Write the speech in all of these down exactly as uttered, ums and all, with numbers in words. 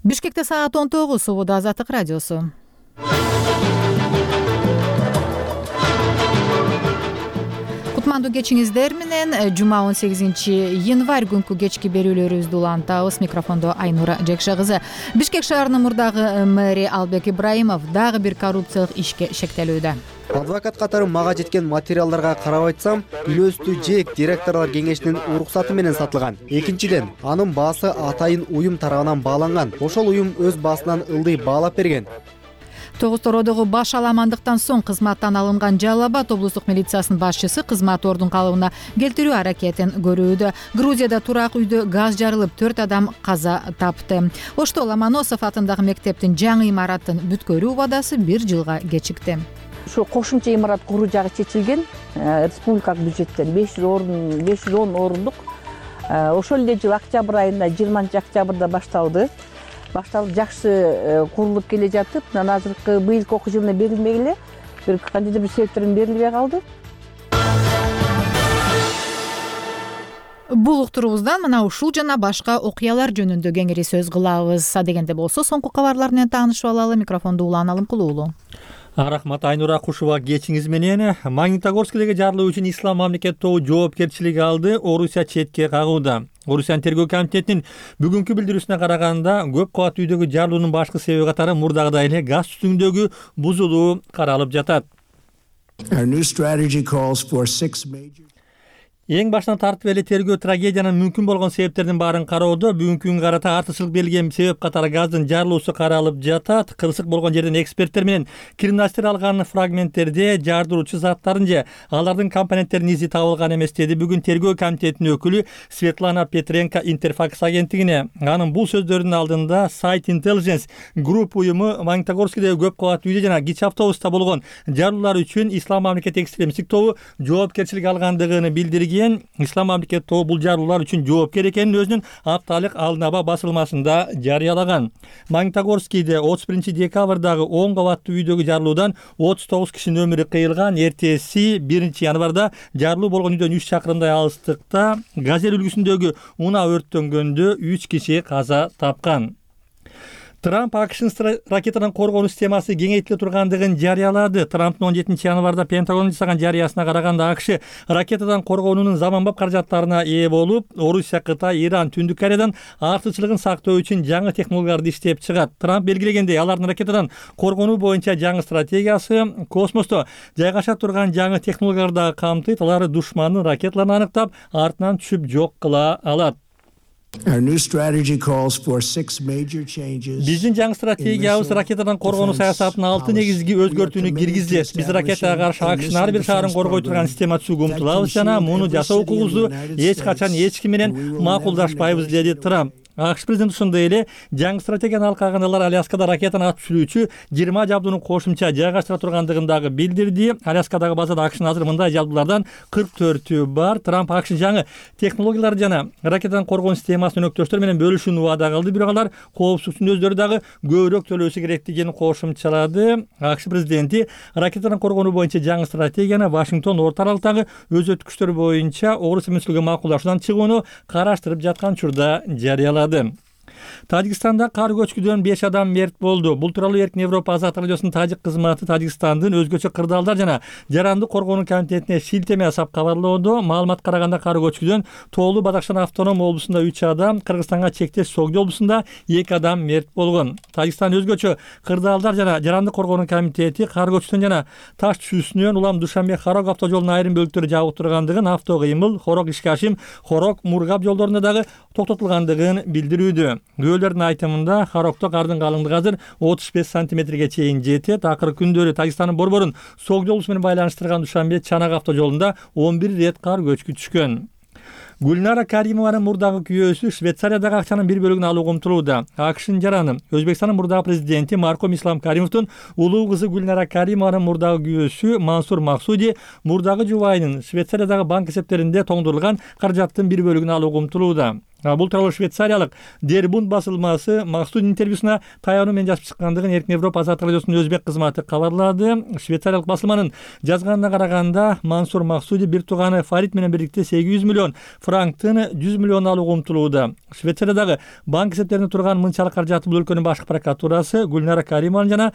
Бишкекте саат он тогуз, Свобода Азаттык радиосу. Кутмандуу кечиңиздер менен жума он сегизинчи январь күнкү кечки берүүлөрүбүздү улантабыз. Микрофондо Айнура Жекша кызы. Бишкек шаарынын мурдагы мэри Албек Ибраимов дагы бир коррупциялык ишке шектелүүдө. Адвокат катары мага жеткен материалдарга карап айтсам, үйлөстүү жээк директорлор кеңешинин уруксаты менен сатылган. Экинчиден, анын баасы атайын уюм тарабынан бааланган. Ошол уюм өз баасынан ылдый баалап берген. Тогуз Тородогу баш аламандыктан соң кызматтан алынган Жалал Абад облустук милициясынын башчысы кызмат ордун калыбына келтирүү аракетин көрүүдө. Грузияда турак үйдө газ жарылып, төрт адам каза тапты. Ошто Ломоносов атындагы мектептин жаңы имараттын бүткөрүү убадасы бир жылга кечикти. Ушу кошумча имарат куруу жагы чечилген. Республикалык бюджеттен беш жүз орун, беш жүз он орундук. Ошол эле жыл октябрь айында, жыйырманчы октябрда башталды. Башталып жакшы курулуп келе жатып, мына азыркы быйылкы окуу жылына берилмегиле, бир кандайдыр бир себептерден берилбей калды. Бул уктурубуздан мына ушул жана башка окуялар жөнүндө кеңири сөз кылабыз. Адегенде болсо соңку кабарлар менен таанышып алалы. Микрофонду Улан Алымкулуулу. Рахмат Айнура, кушуба кечиңиз менен. Магнитогорскидеги жарылуу үчүн Ислам мамлекет тобу жоопкерчилиги алды. Орусия четке кагууда. Орусиянын тергөө комитетинин бүгүнкү билдирүүсүнө караганда, көп кабаттуу үйдөгү жарылуунун башкы себеби катары мурдагыдай эле газ түтүндөгү бузулуу каралып жатат. Эң башынан тартып эле тергөө трагедиянын мүмкүн болгон себептердин баарын кароодо бүгүнкү күнгө карата артыкчылык берилген себеп катары газдын жарылуусу каралып жатат. Кырсык болгон жерден эксперттер менен криминалисттер алган фрагменттерде жардыруучу заттардын же алардын компоненттеринин изи табылган эмес, деди бүгүн тергөө комитетинин өкүлү Светлана Петренко Интерфакс агенттигине. Анын бул сөздөрүнүн алдында Site Intelligence Group уюму Магнитогорскидеги көп кабаттуу үйдө жана кичи автобуста болгон жарылуулар үчүн Ислам мамлекет экстремисттик тобу жоопкерчилик алгандыгын билдирген. Ислам мамлекет тобу бул жарылуулар үчүн жоопкер экенин өзүнүн апталык Алнаба басылмасында жарыялаган. Магнитогорскийде отуз биринчи декабрдагы он кабаттуу үйдөгү жарылуудан отуз тогуз кишинин өмүрү кыйылган. Эртеси биринчи январда жарылуу болгон үйдөн үч чакырымдай алыстыкта газель үлгүсүндөгү унаа өрттөнгөндө үч киши каза тапкан. Трамп акшнын ракетадан коргонуу системасы кеңейтиле тургандыгын жарыялады. Трамптын он жетинчи январда Пентагон жасаган жарыясына караганда, АКШ ракетадан коргонуунун заманбап каражаттарына ээ болуп, Орусия, Кытай, Иран, Түндүк Кореядан артыкчылыгын сактоо үчүн жаңы технологияларды иштеп чыгат. Трамп белгилегендей, алардын ракетадан коргонуу боюнча жаңы стратегиясы космосто жайгаша турган жаңы технологияларды камтыйт. Алар душмандын ракеталарын аныктап, артынан түшүп жок кыла алат. Биздин жаңы стратегиябыз ракетадан коргонуу саясатынын алты негизги өзгөртүүнү киргизет. Биз ракетага каршы АКШнын ар бир шаарын коргой турган система түзүүгө умтулабыз жана муну жасоо укугубузду эч качан эч ким менен макулдашпайбыз, деди Трамп. АКШ президенти ошондой эле жаңы стратегияны алкаган алар Аляскада ракетаны атып түшүрүүчү жыйырма жабдууну кошумча жайгаштыра тургандыгын дагы билдирди. Аляскадагы базада АКШнын азыр мындай жабдуулардан кырк төртү бар. Трамп АКШ жаңы технологиялар жана ракетадан коргонуу системасын өнөктөштөр менен бөлүшүүнү убада кылды, бирок алар коопсуздуктун өздөрү дагы көбүрөөк төлөшү керектигин кошумчалады. АКШ президенти ракетадан коргонуу боюнча жаңы стратегияны Вашингтон орто аралыктагы өзөттүк күчтөр боюнча Орусия менен макулдашуудан чыгууну караштырып жаткан учурда жарыялады. Тажикстанда кар көчкүдөн беш адам мерт болду. Бул тууралуу Эркин Европа Азаттык радиосунун тажик кызматы Тажикстандын өзгөчө кырдаалдар жана жарандык коргонуу комитетине шилтеме жасап кабарлоодо. Маалыматка караганда кар көчкүдөн Тоолу Бадакшан автоном облусунда үч адам, Кыргызстанга чектеш Согди облусунда эки адам мерт болгон. Тажикстан өзгөчө кырдаалдар жана жарандык коргонуу комитети кар көчкүдөн жана таш түшүүсүнөн улам Душанбе Харок автожолунун айрым бөлүктөрү жабык тургандыгын, авто кыймыл Хорок Ишкашим, Хорок Мургап жолдорунда дагы токтотулгандыгын билдирүүдө. Күбөлөрдүн айтымында Харокто кардын калыңдыгы азыр отуз беш сантиметрге чейин жетет. Акыркы күндөрү Тажикстандын Борборун Согди облусу менен байланыштырган Душанбе Чанак автожолунда он бир рет кар көчкү түшкөн. Гүлнара Каримованын мурдагы күйөөсү Швейцариядагы акчанын бир бөлүгүн алууга умтулууда. АКШнын жараны Өзбекстандын мурдагы президенти Марком Ислам Каримовдун улуу кызы Гүлнара Каримованын мурдагы күйөөсү Мансур Максуди мурдагы жубайынын Швейцариядагы банк эсептеринде тоңдурулган каражаттын бир бөлүгүн алууга умтулууда. Бул тууралуу швейцариялык Der Bund басылмасы максуддун интервьюсуна таянуу менен жазып чыккандыгын Эркин Европа азаттык радиосунун өзбек кызматы кабарлады. Швейцариялык басылманын жазганына караганда Мансур Максуди бир тууганы Фарид менен бирдикте сегиз жүз миллион франктын жүз миллион алууга умтулууда. Швейцариядагы банк эсептеринде турган мынчалык каражаты бул өлкөнүн башкы прокуратурасы Гүлнара Каримованы жана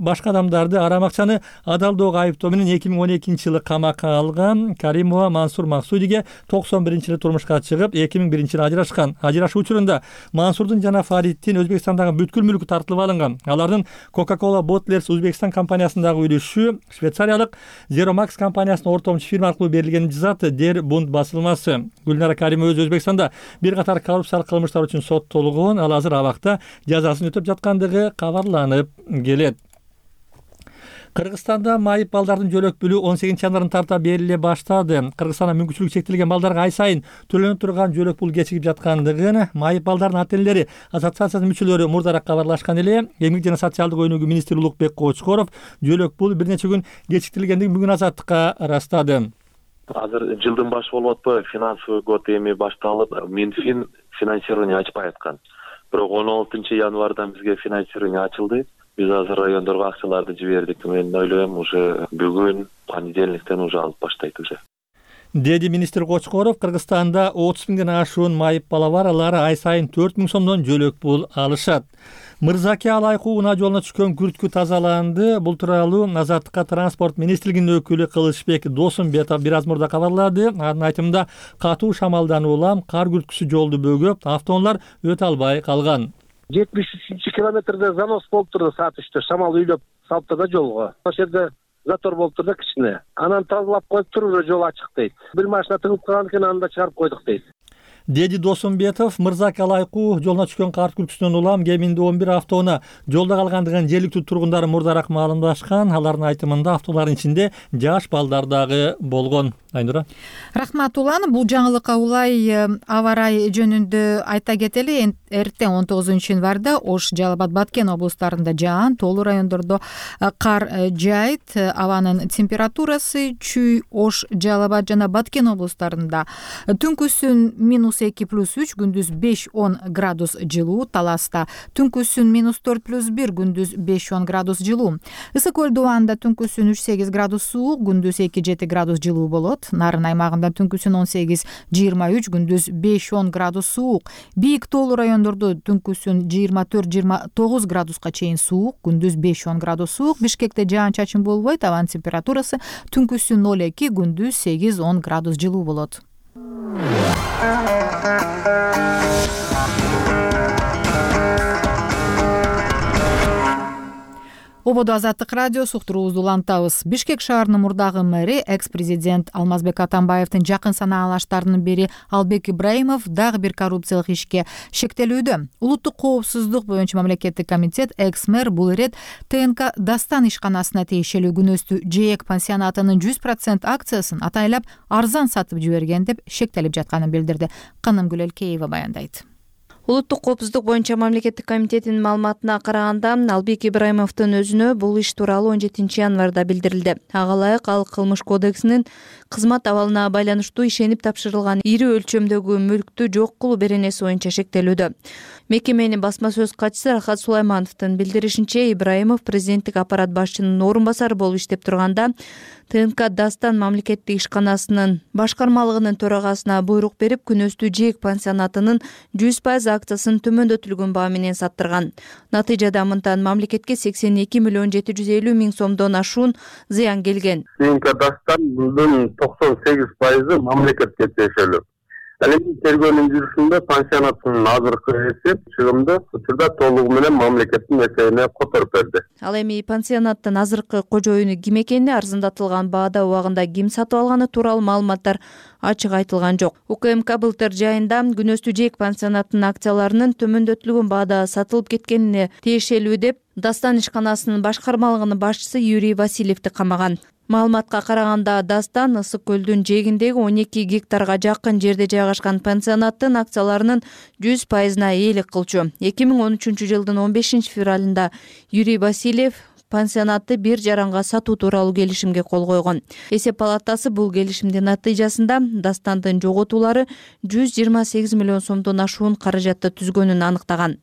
башка адамдарды арам акчаны адалдоого айыптоо менен эки миң он экинчи жылы камакка алган. Каримова Мансур Максудиге токсон биринчи жылы турмушка чыгып, эки миң биринчи жылы ажырашкан. Ажырашуу учурунда Мансурдун жана Фариддин Өзбекстандагы бүткүл мүлкү тартылып алынган. Алардын Coca-Cola Bottlers Uzbekistan компаниясындагы үлүшү швейцариялык Zeromax компаниясынын ортомчу фирма аркылуу берилгенин жазат Der Bund басылмасы. Гүлнара Каримова өзү Өзбекстанда бир катар коррупциялык кылмыштар үчүн соттолгон, ал азыр абакта жазасын өтөп жаткандыгы кабарланып келет. Кыргызстанда майып балдардын жөлөк пулу он сегизинчи январдан тарта бериле баштады. Кыргызстанда мүмкүнчүлүгү чектелген балдарга ай сайын төлөнүп турган жөлөк пул кечигип жаткандыгын майып балдардын ата-энелери ассоциациясынын мүчөлөрү мурдараак кабарлашкан эле. Эмгек жана социалдык өнүгүү министри Улукбек Кочкоров жөлөк пул бир нече күн кечиктирилгендигин бүгүн азаттыкка ырастады. Азыр жылдын башы болуп атпайбы, финансовый год эми башталып, Минфин финансирование ачпай аткан. Бирок он алтынчы январдан бизге финансирование ачылды. Биз азыр райондорго акчаларды жибердик. Мен ойлойм, уже бүгүн понедельниктен уже алып баштайт уже. Деди министр Кочкоров, Кыргызстанда отуз миңден ашуун майып бала бар, алар ай сайын төрт миң сомдон жөлөк пул алышат. Мырзаке Алайкуу унаа жолуна түшкөн күрткү тазаланды. Бул тууралуу Азаттыкка транспорт министрлигинин өкүлү Кылычбек Досумбетов бир аз мурда кабарлады. Анын айтымында катуу шамалдан улам кар күрткүсү жолду бөгөп, автоунаалар өтө албай калган. жетимиш үчүнчү километрде занос болуп турду, саат үчтө шамал үйлөп салыптыр да жолго. Ошол жерде затор болуп турду кичине. Анан тазалап коюп туруп уже жол ачык дейт. Бир машина тыгылып калган экен, аны да чыгарып койдук дейт. Деди Досумбетов, Мырзаке Алайкуу жолуна түшкөн кар күрткүсүнөн улам кеминде он бир автоунаа жолдо калгандыгын жергиликтүү тургундар мурдараак маалымдашкан. Алардын айтымында автоунаалардын ичинде жаш балдар дагы болгон. Айнура. Рахмат улан. Бул жаңылыкка улай аба ырайы жөнүндө айта кетели. Эртең он тогузунчу январда Ош, Жалал Абад, Баткен облустарында жаан, тоолуу райондордо кар жаайт. Абанын температурасы Чүй, Ош, Жалал Абад жана Баткен облустарында түнкүсүн минус эки плюс үч, күндүз беш он градус жылуу. Таласта түнкүсүн минус төрт плюс бир, күндүз беш он градус жылуу. Ысык көл Дубанда түнкүсүн үч сегиз градус суук, күндүз эки жети градус жылуу болот. Нарын аймагында түнкүсүн он сегиз жыйырма үч, күндүз беш он градус суук. Бийик тоолуу райондордо түнкүсүн жыйырма төрт жыйырма тогуз градуска чейин суук, күндүз беш он градус суук. Бишкекте жаан-чачын болбойт, абанын температурасы түнкүсүн ноль эки, күндүз сегиз он градус жылуу болот. Ободо Азаттык радиосу уктуруубузду улантабыз. Бишкек шаарынын мурдагы мэри, экс-президент Алмазбек Атамбаевдин жакын санаалаштарынын бири Албек Ибраимов дагы бир коррупциялык ишке шектелүүдө. Улуттук коопсуздук боюнча мамлекеттик комитет экс-мэр бул ирет ТНК Дастан ишканасына тиешелүү күнөстүү ЖЭЭК пансионатынын жүз процент акциясын атайлап арзан сатып жиберген деп шектелип жатканын билдирди. Канымгүл Элкеева баяндайт. Улуттук коопсуздук боюнча мамлекеттик комитетинин маалыматына караганда Албек Ибраимовдун өзүнө бул иш тууралуу он жетинчи январда билдирилди. Ага ылайык ал кылмыш кодексинин кызмат абалына байланыштуу ишенип тапшырылган ири өлчөмдөгү мүлктү жок кылуу беренеси боюнча шектелүүдө. Мекеменин басма сөз катчысы Рахат Сулаймановдун билдиришинче, Ибраимов президенттик аппарат башчынын орун басары болуп иштеп турганда ТНК Дастан мамлекеттик ишканасынын башкармалыгынын төрагасына буйрук берип, күнөстүү ЖЭЭК пансионатынын жүз пайыз акциясын төмөндөтүлгөн баа менен саттырган. Натыйжада мынтан мамлекетке сексен эки миллион жети жүз элүү миң сомдон ашуун зыян келген. ТНК Дастанын токсон сегиз пайызы мамлекетке тиешелүү. Ал эми тергөөнүн жүрүшүндө пансионаттын азыркы эсеп чыгымды учурда толугу менен мамлекеттин эсебине которуп берди. Ал эми пансионаттын азыркы кожоюну ким экени, арзандатылган баада убагында ким сатып алганы тууралуу маалыматтар ачык айтылган жок. УКМК былтыр жайында күнөстүү ЖЭЭК пансионаттын акцияларынын төмөндөтүлгөн баада сатылып кеткенине тиешелүү деп Дастан ишканасынын башкармалыгынын башчысы Юрий Васильевди камаган. Маалыматка караганда Дастан ысык көлдүн жээгиндеги он эки гектарга жакын жерде жайгашкан пансионаттын акцияларынын жүз пайызына ээлик кылчу. эки миң он үчүнчү жылдын он бешинчи февралында Юрий Васильев пансионатты бир жаранга сатуу тууралуу келишимге кол койгон. Эсеп палатасы бул келишимдин натыйжасында Дастандын жоготуулары жүз жыйырма сегиз миллион сомдон ашуун каражатты түзгөнүн аныктаган.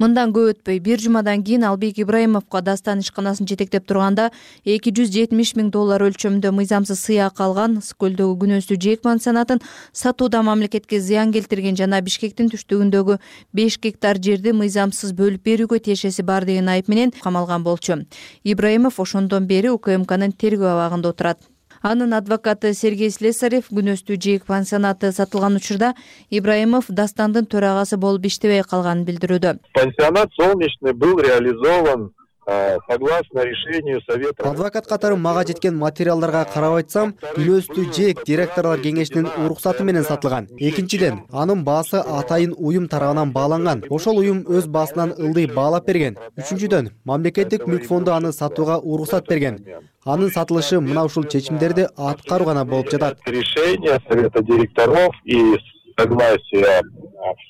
Мындан көп өтпөй бир жумадан кийин Албек Ибраимовго Дастан ишканасын жетектеп турганда эки жүз жетимиш миң доллар өлчөмдө мыйзамсыз сыйак алган Ысык-Көлдөгү күнөстүү жээк пансионатын сатууда мамлекетке зыян келтирген жана Бишкектин түштүгүндөгү беш гектар жерди мыйзамсыз бөлүп берүүгө тиешеси бар деген айып менен камалган болчу. Ибраимов ошондон бери УКМКнын тергөө абагында отурат. Анын адвокаты Сергей Слесарев күнөстүү жээк пансионаты сатылган учурда Ибраимов Дастандын төрагасы болуп иштебей калганын билдирүүдө. Пансионат солнечный был реализован согласно решению совета. Адвокат катары мага жеткен материалдарга карап айтсам, күнөстүү жээк директорлор кеңешинин уруксаты менен сатылган. Экинчиден, анын баасы атайын уюм тарабынан бааланган. Ошол уюм өз баасынан ылдый баалап берген. Үчүнчүдөн, мамлекеттик мүлк фонду аны сатууга уруксат берген. Анын сатылышы мына ушул чечимдерди аткаруу гана болуп жатат. Решение совета директоров и согласие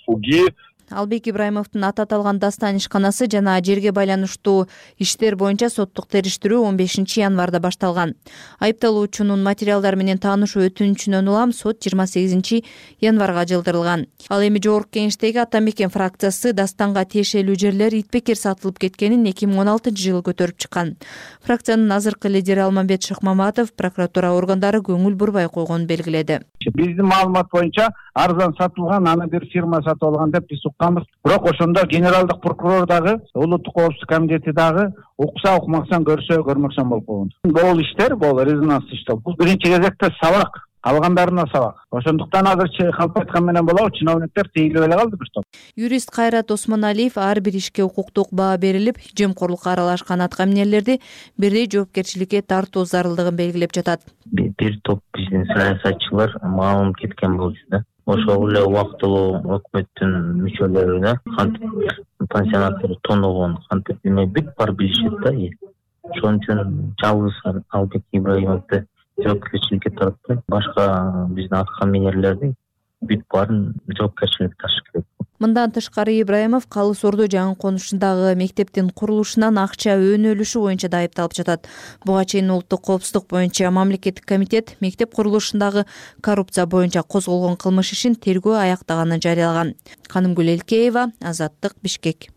ФУГИ. Албек Ибраимовдун аты аталган Дастан ишканасы жана жерге байланыштуу иштер боюнча соттук териштирүү он бешинчи январда башталган. Айыпталуучунун материалдары менен таанышуу өтүнүчүнөн улам сот жыйырма сегизинчи январга жылдырылган. Ал эми жогорку кеңештеги Ата Мекен фракциясы Дастанга тиешелүү жерлер итбекер сатылып кеткенин эки миң он алтынчы жылы көтөрүп чыккан. Фракциянын азыркы лидери Алмамбет Шыкмаматов прокуратура органдары көңүл бурбай койгонун белгиледи. Биздин маалымат боюнча арзан сатылган, аны бир фирма сатып алган деп биз укканбыз. Бирок ошондо генералдык прокурор дагы, улуттук коопсуздук комитети дагы укса укмаксан, көрсө көрмөксөн болуп койгон. Бул иштер, бул резонанс иштер. Бул биринчи кезекте сабак, алгандарына сабак. Ошондуктан азырчы калп айткан менен болобу, чиновниктер тийилип эле калды бир топ. Юрист Кайрат Осмоналиев ар бир ишке укуктук баа берилип, жемкорлукка аралашкан аткаминерлерди бирдей жоопкерчиликке тартуу зарылдыгын белгилеп жатат. Бир топ биздин саясатчылар маалым кеткен болчу да. Ошол эле убактылуу өкмөттүн мүчөлөрүнө кантип пансионаттарды тоногон, кантип эме бүт бар билишет да. Ошон үчүн жалгыз Албек Ибраимовду жоопкерчиликке тартып, башка биздин аткаминерлерди бүт баарын жоопкерчиликке тартыш керек. Мындан тышкары Ибраимов Калыс Ордо жаңы конушундагы мектептин курулушунан акча өөнөлүшү боюнча да айыпталып жатат. Буга чейин улуттук коопсуздук боюнча мамлекеттик комитет мектеп курулушундагы коррупция боюнча козголгон кылмыш ишин тергөө аяктаганын жарыялаган. Канымгүл Элкеева, Азаттык, Бишкек.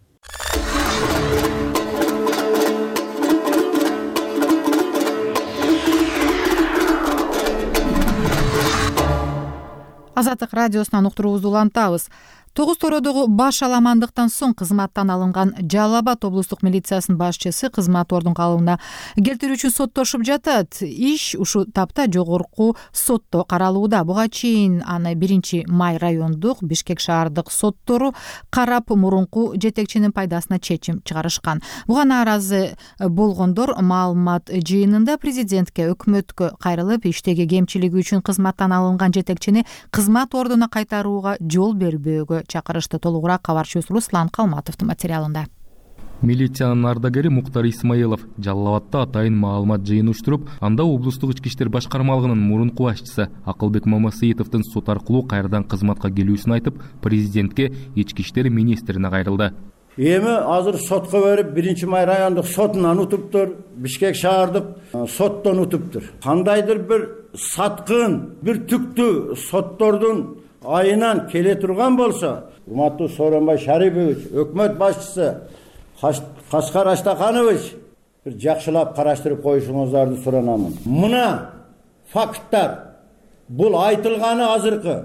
Азаттык радиосунан уктуруубузду улантабыз. Тогуз Тородогу баш аламандыктан соң кызматтан алынган Жалал Абад облустук милициясынын башчысы кызмат ордун калыбына келтирүү үчүн соттошуп жатат. Иш ушул тапта жогорку сотто каралууда. Буга чейин аны биринчи май райондук, Бишкек шаардык соттору карап, мурунку жетекчинин пайдасына чечим чыгарышкан. Буга нааразы болгондор маалымат жыйынында президентке, өкмөткө кайрылып, иштеги кемчилиги үчүн кызматтан алынган жетекчини кызмат ордуна кайтарууга жол бербөөгө чакырышты. Толугураак кабарчыбыз Руслан Калматовдун материалында. Милициянын ардагери Муктар Исмаилов Жалал Абадта атайын маалымат жыйын уштуруп, анда облустук ички иштер башкармалыгынын мурунку башчысы Акылбек Мамасыйтовдун сот аркылуу кайрадан кызматка келүүсүн айтып, президентке, ички иштер министрине кайрылды. Эми азыр сотко берип, биринчи май райондук сотунан утуптур, Бишкек шаардык соттон утуптур. Кандайдыр бир саткын, бир түктүү соттордун айынан келе турган болсо, урматтуу Сооронбай Шарипович, өкмөт башчысы Кашкар Аштаканович бир жакшылап караштырып коюшуңуздарды суранамын. Мына факттар, бул айтылганы азыркы,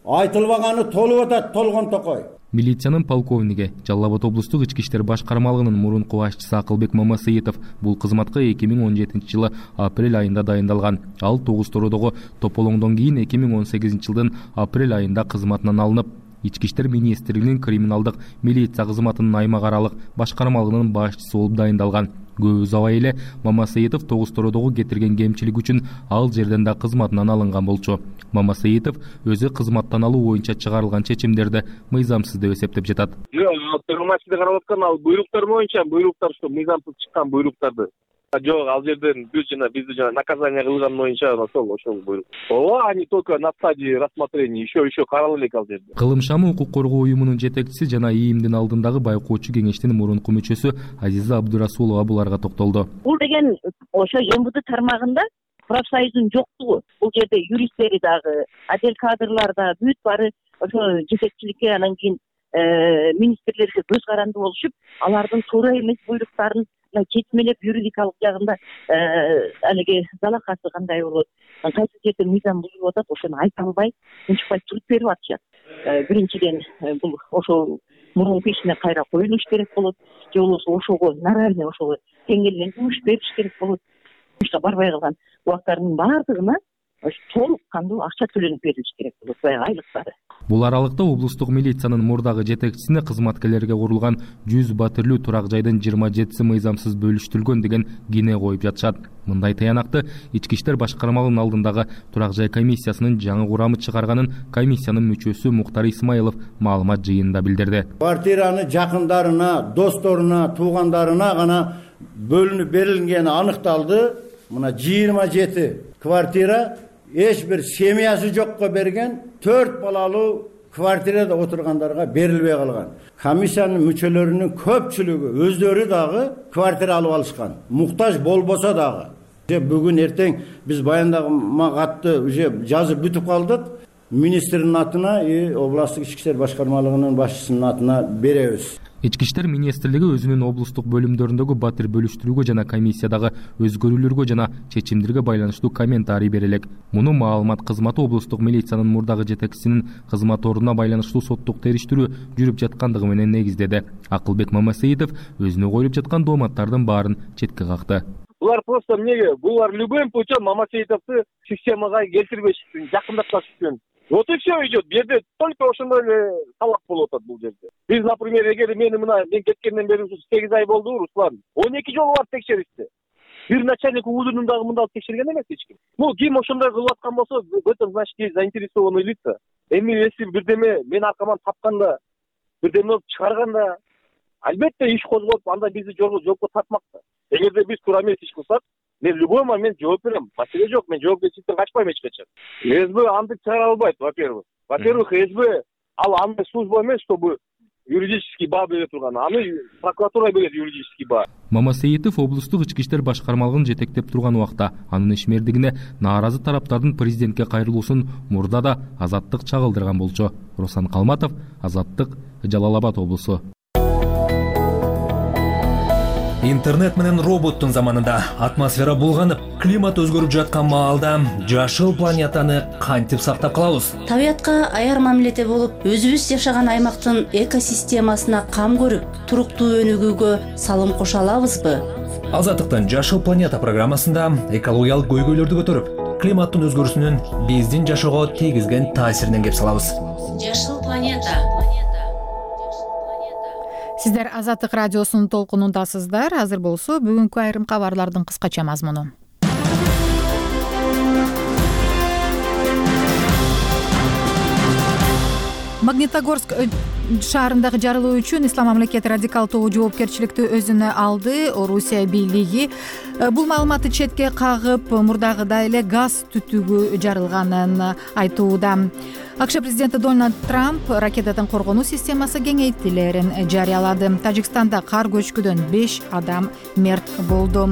айтылбаганы толуп атат, толгон токой. Милициянын полковниги, Жалал Абад облустук ички иштер башкармалыгынын мурунку башчысы Акылбек Мамасыйтов бул кызматка эки миң он жетинчи жылы апрель айында дайындалган. Ал Тогуз Тородогу тополоңдон кийин эки миң он сегизинчи жылдын апрель айында кызматынан алынып, ички иштер министрлигинин криминалдык милиция кызматынын аймак аралык башкармалыгынын башчысы болуп дайындалган. Көп узабай эле Мамасыйтов Тогуз Тородогу кетирген кемчилик үчүн ал жерден да кызматынан алынган болчу. Мамасыйтов өзү кызматтан алуу боюнча чыгарылган чечимдерди мыйзамсыз деп эсептеп жатат. Жок, маселе карап аткан ал буйруктар боюнча, буйруктар ушу мыйзамсыз чыккан буйруктарды Жок, ал жерден биз жана бизди жана наказание кылган боюнча ошол ошол буйрук. Ооба, они только на стадии рассмотрения, еще еще карала элек ал жерде. Кылым шамы укук коргоо уюмунун жетекчиси жана ИИМдин алдындагы байкоочу кеңештин мурунку мүчөсү Азиза Абдурасулова буларга токтолду. Бул деген ошо МВД тармагында профсоюздун жоктугу. Бул жерде юристтери дагы, отдел кадрлар да бүт баары ошо жетекчиликке, анан кийин министрлерге көз каранды болушуп, алардын туура эмес буйруктарын четмелеп юридикалык жагында алиги залакасы кандай болот, кайсы жерде мыйзам бузулуп атат, ошону айта албай, унчукпай туруп берип атышат. Биринчиден бул ошол мурунку ишине кайра коюлуш керек болот, же болбосо ошого моральный ошого тең эле жумуш бериш керек болот. Ушка барбай калган убактарынын баардыгына толук кандуу акча төлөнүп берилиш керек болот, баягы айлыктары. Бул аралыкта облустук милициянын мурдагы жетекчисине кызматкерлерге курулган жүз батирлүү турак жайдын жыйырма жетиси мыйзамсыз бөлүштүрүлгөн деген кине коюп жатышат. Мындай таянакты Ички иштер башкармалыгынын алдындагы турак жай комиссиясынын жаңы курамы чыгарганын комиссиянын мүчөсү Муктар Исмаилов маалымат жыйынында билдирди. Квартираны жакындарына, досторуна, туугандарына гана бөлүнүп берилгени аныкталды. Мына жыйырма жети квартира эч бир семьясы жокко берген, төрт балалуу квартирада отургандарга берилбей калган. Комиссиянын мүчөлөрүнүн көпчүлүгү өздөрү дагы квартира алып алышкан. Муктаж болбосо дагы. Бүгүн эртең биз баяндамакатты уже жазып бүтүп калдык. Министрдин атына и областтык ички иштер башкармалыгынын башчысынын атына беребиз. Ички иштер министрлиги өзүнүн облустук бөлүмдөрүндөгү батир бөлүштүрүүгө жана комиссиядагы өзгөрүүлөргө жана чечимдерге байланыштуу комментарий берелек. Муну маалымат кызматы облустук милициянын мурдагы жетекчисинин кызмат ордуна байланыштуу соттук териштирүү жүрүп жаткандыгы менен негиздеди. Акылбек Мамасеитов өзүнө коюлуп жаткан дооматтардын баарын четке какты. Булар просто эмнеге? Булар любым путем Мамасеитовду системага келтирбеш үчүн, жакындаткан үчүн. Вот и все идет. Жерде только ошондой эле талап болуп атат бул жерде. Биз, например, эгер мени мына мен кеткенден бери сегиз ай болду, Руслан. он эки жолу барып текшеришти. Бир начальник УУДунун дагы мында текшерген эмес эч ким. Ну, ким ошондой кылып аткан болсо, в этом значит есть заинтересованные лица. Эми если бирдеме мен аркаман тапканда, бирдеме чыгарганда, албетте иш козгоп, анда бизди жоопко тартмак да. Эгерде биз туура эмес иш кылсак, мен любой момент жооп берем. Маселе жок, мен жоопкерчиликтен качпайм эч качан. СБ антип чыгара албайт, во-первых. Во-первых, СБ ал андай служба эмес, чтобы юридический баа бере турган. Аны прокуратура берет юридический баа. Мамасеитов облустук ички иштер башкармалыгын жетектеп турган убакта анын ишмердигине нааразы тараптардын президентке кайрылуусун мурда да Азаттык чагылдырган болчу. Руслан Калматов, Азаттык, Жалал Абад облусу. Интернет менен роботтун заманында атмосфера булганып, климат өзгөрүп жаткан маалда жашыл планетаны кантип сактап калабыз? Табиятка аяр мамиледе болуп, өзүбүз жашаган аймактын экосистемасына кам көрүп, туруктуу өнүгүүгө салым кошо алабызбы? Азаттыктын Жашыл планета программасында экологиялык көйгөйлөрдү көтөрүп, климаттын өзгөрүүсүнүн биздин жашоого тийгизген таасиринен кеп салабыз. Жашыл планета. Сиздер Азаттык радиосунун толкунундасыздар. Азыр болсо бүгүнкү айрым кабарлардын кыскача мазмуну. Магнитогорск шаарындагы жарылуу үчүн Ислам мамлекети радикал тобу жоопкерчиликти өзүнө алды. Орусия бийлиги бул маалыматты четке кагып, мурдагыдай эле газ түтүгү жарылганын айтууда. АКШ президенти Дональд Трамп ракетадан коргонуу системасы кеңейтилерин жарыялады. Тажикстанда кар көчкүдөн беш адам мерт болду.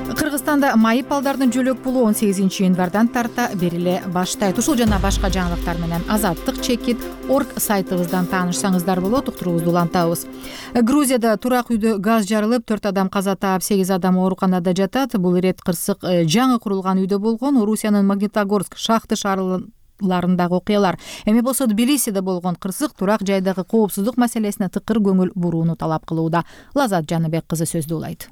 Кыргызстанда майып балдардын жөлөк пулу он сегизинчи январдан тарта бериле баштайт. Ушул жана башка жаңылыктар менен азаттык чекит орг сайтыбыздан таанышсаңыздар болот. Уктуруубузду улантабыз. Грузияда турак үйдө газ жарылып, төрт адам каза таап, сегиз адам ооруканада жатат. Бул ирет кырсык жаңы курулган үйдө болгон. Орусиянын Магнитогорск шахты шаарларындагы окуялар. Эми болсо Тбилисиде болгон кырсык турак жайдагы коопсуздук маселесине тыкыр көңүл бурууну талап кылууда. Лазат Жаныбек кызы сөздү улайт.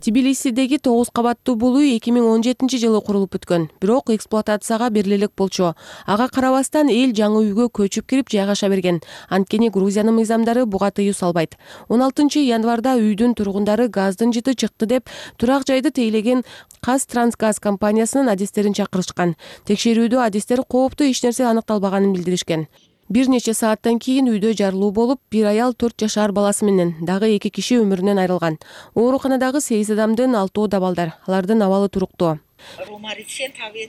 Тбилисидеги тогуз кабаттуу бул үй эки миң он жетинчи жылы курулуп бүткөн. Бирок эксплуатацияга берилелик болчу. Ага карабастан эл жаңы үйгө көчүп кирип жайгаша берген. Анткени Грузиянын мыйзамдары буга тыюу салбайт. он алтынчы январда үйдүн тургундары газдын жыты чыкты деп турак жайды тейлеген Казтрансгаз компаниясынын адистерин чакырышкан. Текшерүүдө адистер кооптуу эч нерсе аныкталбаганын билдиришкен. бир нече сааттан кийин үйдө жарылуу болуп, бир аял төрт жашар баласы менен дагы эки киши өмүрүнөн айрылган. Ооруканадагы сегиз адамдын алтоо да балдар, алардын абалы туруктуу.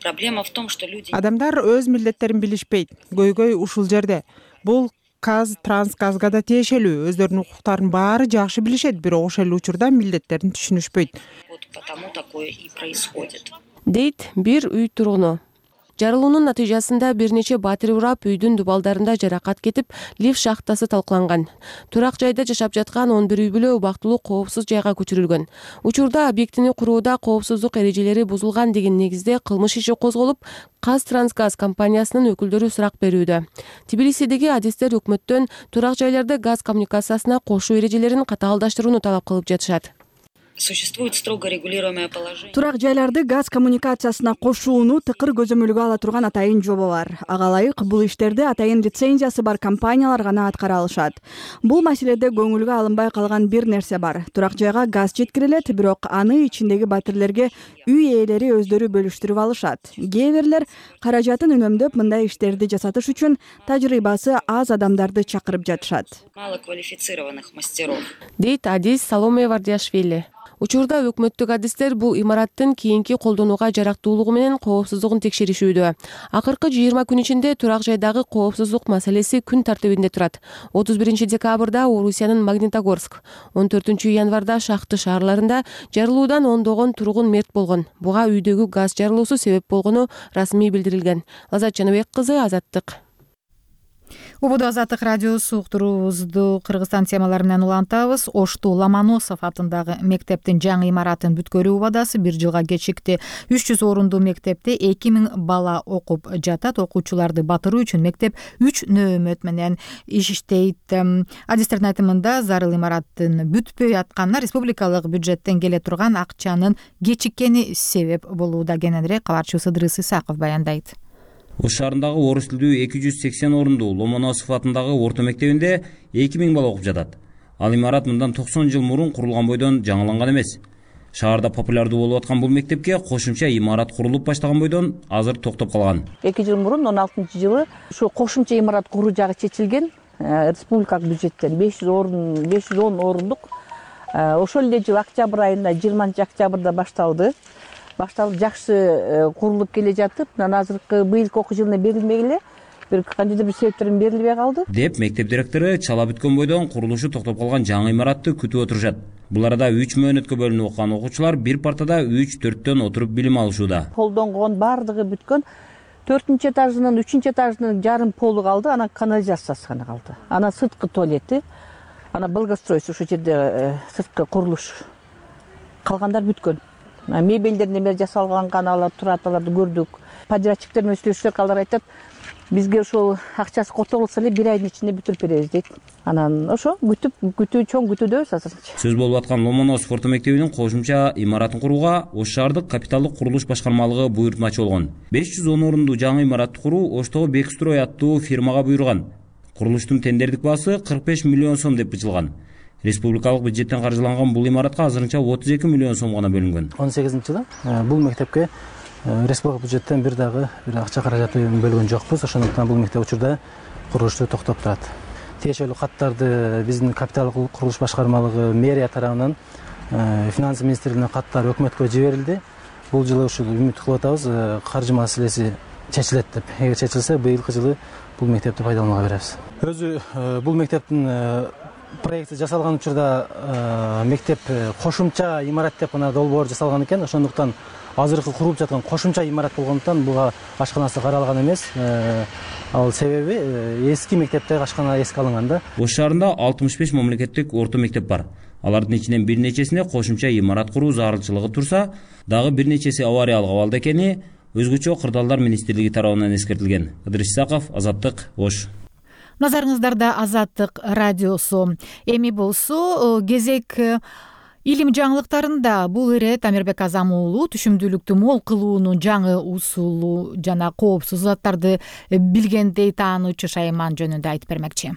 Проблема в том, что люди адамдар өз милдеттерин билишпейт. Көйгөй ушул жерде. Бул Каз Трансгазга да тиешелүү. Өздөрүнүн укуктарын баары жакшы билишет, бирок ошол учурда милдеттерин түшүнүшпөйт. Потому такое и происходит. Дейт бир үй тургуну. Жарылуунун натыйжасында бир нече батир урап, үйдүн дубалдарында жаракат кетип, лифт шахтасы талкаланган. Турак жайда жашап жаткан он бир үй бүлө убактылуу коопсуз жайга көчүрүлгөн. Учурда объектини курууда коопсуздук эрежелери бузулган деген негизде кылмыш иши козголуп, Каз Трансгаз компаниясынын өкүлдөрү сурак берүүдө. Тбилисидеги адистер өкмөттөн турак жайларда газ коммуникациясына кошуу эрежелерин катаалдаштырууну талап кылып жатышат. Существует строго регулируемое положение. Турак жайларды газ коммуникациясына кошууну тыкыр көзөмөлгө ала турган атайын жобо бар. Ага ылайык бул иштерди атайын лицензиясы бар компаниялар гана аткара алышат. Бул маселеде көңүлгө алынбай калган бир нерсе бар. Турак жайга газ жеткирилет, бирок аны ичиндеги батирлерге үй ээлери өздөрү бөлүштүрүп алышат. Кээ бирлер каражатын үнөмдөп мындай иштерди жасатыш үчүн тажрыйбасы аз адамдарды чакырып жатышат. Малоквалифицированных мастеров. Дейт Адис Саломе Вардиашвили. Учурда өкмөттүк адистер бул имараттын кийинки колдонууга жарактуулугу менен коопсуздугун текшеришүүдө. Акыркы жыйырма күн ичинде турак жайдагы коопсуздук маселеси күн тартибинде турат. отуз биринчи декабрда Орусиянын Магнитогорск, он төртүнчү январда Шахты шаарларында жарылуудан ондогон тургун мерт болгон. Буга үйдөгү газ жарылуусу себеп болгону расмий билдирилген. Лазат Жаныбек кызы, Азаттык. Убуду Азаттык радиосу уктуруубузду Кыргызстан темалары менен улантабыз. Ошту Ломоносов атындагы мектептин жаңы имаратын бүткөрүү убадасы бир жылга кечикти. үч жүз орунду мектепте эки миң бала окуп жатат. Окуучуларды батыруу үчүн мектеп үч нөөмөт менен иштейт. Адистердин айтымында зарыл имараттын бүтпөй атканына республикалык бюджеттен келе турган акчанын кечиккени себеп болууда. Кененирээк кабарчыбыз Ыдрыс Исаков баяндайт. Ош шаарындагы орус тилдүү эки жүз сексен орундуу Ломоносов атындагы орто мектебинде эки миң бала окуп жатат. Ал имарат мындан токсон жыл мурун курулган бойдон жаңыланган эмес. Шаарда популярдуу болуп аткан бул мектепке кошумча имарат курулуп баштаган бойдон азыр токтоп калган. эки жыл мурун он алтынчы жылы ушу кошумча имарат куруу жагы чечилген. Республикалык бюджеттен беш жүз орун, беш жүз он орундук. Ошол эле жыл октябрь айында, жыйырманчы октябрда башталды. Башталып жакшы курулуп келе жатып, азыркы быйылкы окуу жылына берилмей эле, бир кандайдыр бир себептерден берилбей калды. Деп мектеп директору чала бүткөн бойдон курулушу токтоп калган жаңы имаратты күтүп отурушат. Бул арада үч мөөнөткө бөлүнүп окуган окуучулар бир партада үч төрттөн отуруп билим алышууда. Колдонгон бардыгы бүткөн. төртүнчү этажынын, үчүнчү этажынын жарым полу калды, анан канализациясы гана калды. Анан сырткы туалети, анан благоустройство ошол жерде сырткы курулуш. Калгандар бүткөн. Мебелдер немер жасалган каналар турат, аларды көрдүк. Подрядчиктер менен сүйлөшсөк, алар айтат, бизге ошол акчасы которулса эле бир айдын ичинде бүтүрүп беребиз дейт. Анан ошо күтүп, күтүү чоң күтүүдөбүз азырынча. Сөз болуп аткан Ломоносов орто мектебинин кошумча имаратын курууга Ош шаардык капиталдык курулуш башкармалыгы буйртмачы болгон. беш жүз он орундуу жаңы имаратты куруу Оштогу Бекстрой аттуу фирмага буйруган. Курулуштун тендердик баасы кырк беш миллион сом деп бычылган. Республикалык бюджеттен каржыланган бул имаратка азырынча отуз эки миллион сом гана бөлүнгөн. он сегизинчи жылы бул мектепке республика бюджеттен бир дагы бир акча каражаты бөлгөн жокпуз. Ошондуктан бул мектеп учурда курулушу токтоп турат. Тиешелүү каттарды биздин капиталдык курулуш башкармалыгы мэрия тарабынан финансы министрлигине каттар өкмөткө жиберилди. Бул жылы ушул үмүт кылып атабыз, каржы маселеси чечилет деп. Эгер чечилсе, быйылкы жылы бул мектепти пайдаланууга беребиз. Өзү бул мектептин проекти жасалган учурда мектеп кошумча имарат деп гана долбоор жасалган экен. Ошондуктан азыркы курулуп жаткан кошумча имарат болгондуктан буга ашканасы каралган эмес. Ал себеби эски мектептеги ашкана эске алынган да. Ош шаарында алтымыш беш мамлекеттик орто мектеп бар. Алардын ичинен бир нечесине кошумча имарат куруу зарылчылыгы турса, дагы бир нечеси авариялык абалда экени өзгөчө кырдаалдар министрлиги тарабынан эскертилген. Ыдрыс Исаков, Азаттык, Ош. Назарыңыздарда Азаттык радиосу. Эми болсо кезек илим жаңылыктарында. Бул ирет Амирбек Азам уулу түшүмдүүлүктү мол кылуунун жаңы усулу жана коопсуз заттарды билгендей таануучу Шайман жөнүндө айтып бермекчи.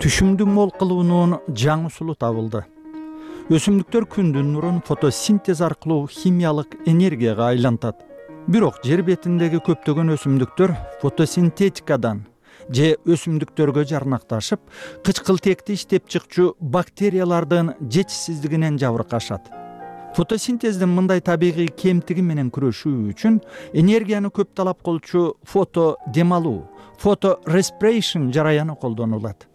Түшүмдү мол кылуунун жаңы усулу табылды. Өсүмдүктөр күндүн нурун фотосинтез аркылуу химиялык энергияга айлантат. бирок жер бетиндеги көптөгөн өсүмдүктөр фотосинтетикадан же өсүмдүктөргө жарнакташып, кычкылтекти иштеп чыкчу бактериялардын жетишсиздигинен жабыркашат. Фотосинтездин мындай табигый кемтиги менен күрөшүү үчүн энергияны көп талап кылчу фото дем алуу, фото respiration жараяны колдонулат.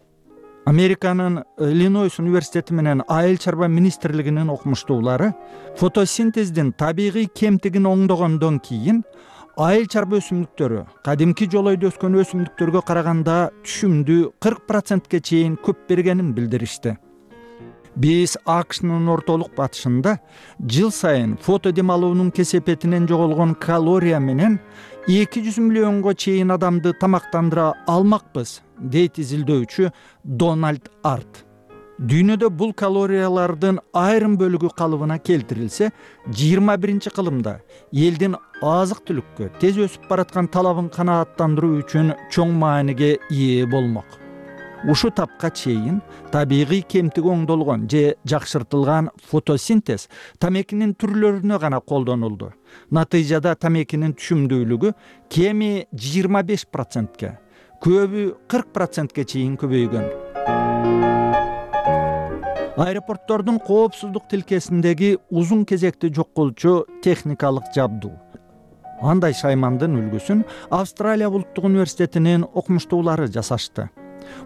Американын Иллинойс университети менен айыл чарба министрлигинин окумуштуулары фотосинтездин табигый кемтигин оңдогондон кийин айыл чарба өсүмдүктөрү кадимки жолойдо өскөн өсүмдүктөргө караганда түшүмдү кырк процентке чейин көп бергенин билдиришти. Биз АКШнын ортолук батышында жыл сайын фото дем алуунун кесепетинен жоголгон калория менен эки жүз миллионго чейин адамды тамактандыра алмакпыз, дейт изилдөөчү Дональд Арт. Дүйнөдө бул калориялардын айрым бөлүгү калыбына келтирилсе, жыйырма биринчи кылымда элдин азык-түлүккө тез өсүп бараткан талабын канааттандыруу үчүн чоң мааниге ээ болмок. Ушу тапка чейин табигый кемтиги оңдолгон же жакшыртылган фотосинтез тамекинин түрлөрүнө гана колдонулду. Натыйжада тамекинин түшүмдүүлүгү кеми жыйырма беш процентке, көбү кырк процентке чейин көбөйгөн. Аэропорттордун коопсуздук тилкесиндеги узун кезекти жок кылчу техникалык жабдуу. Андай шаймандын үлгүсүн Австралия улуттук университетинин окумуштуулары жасашты.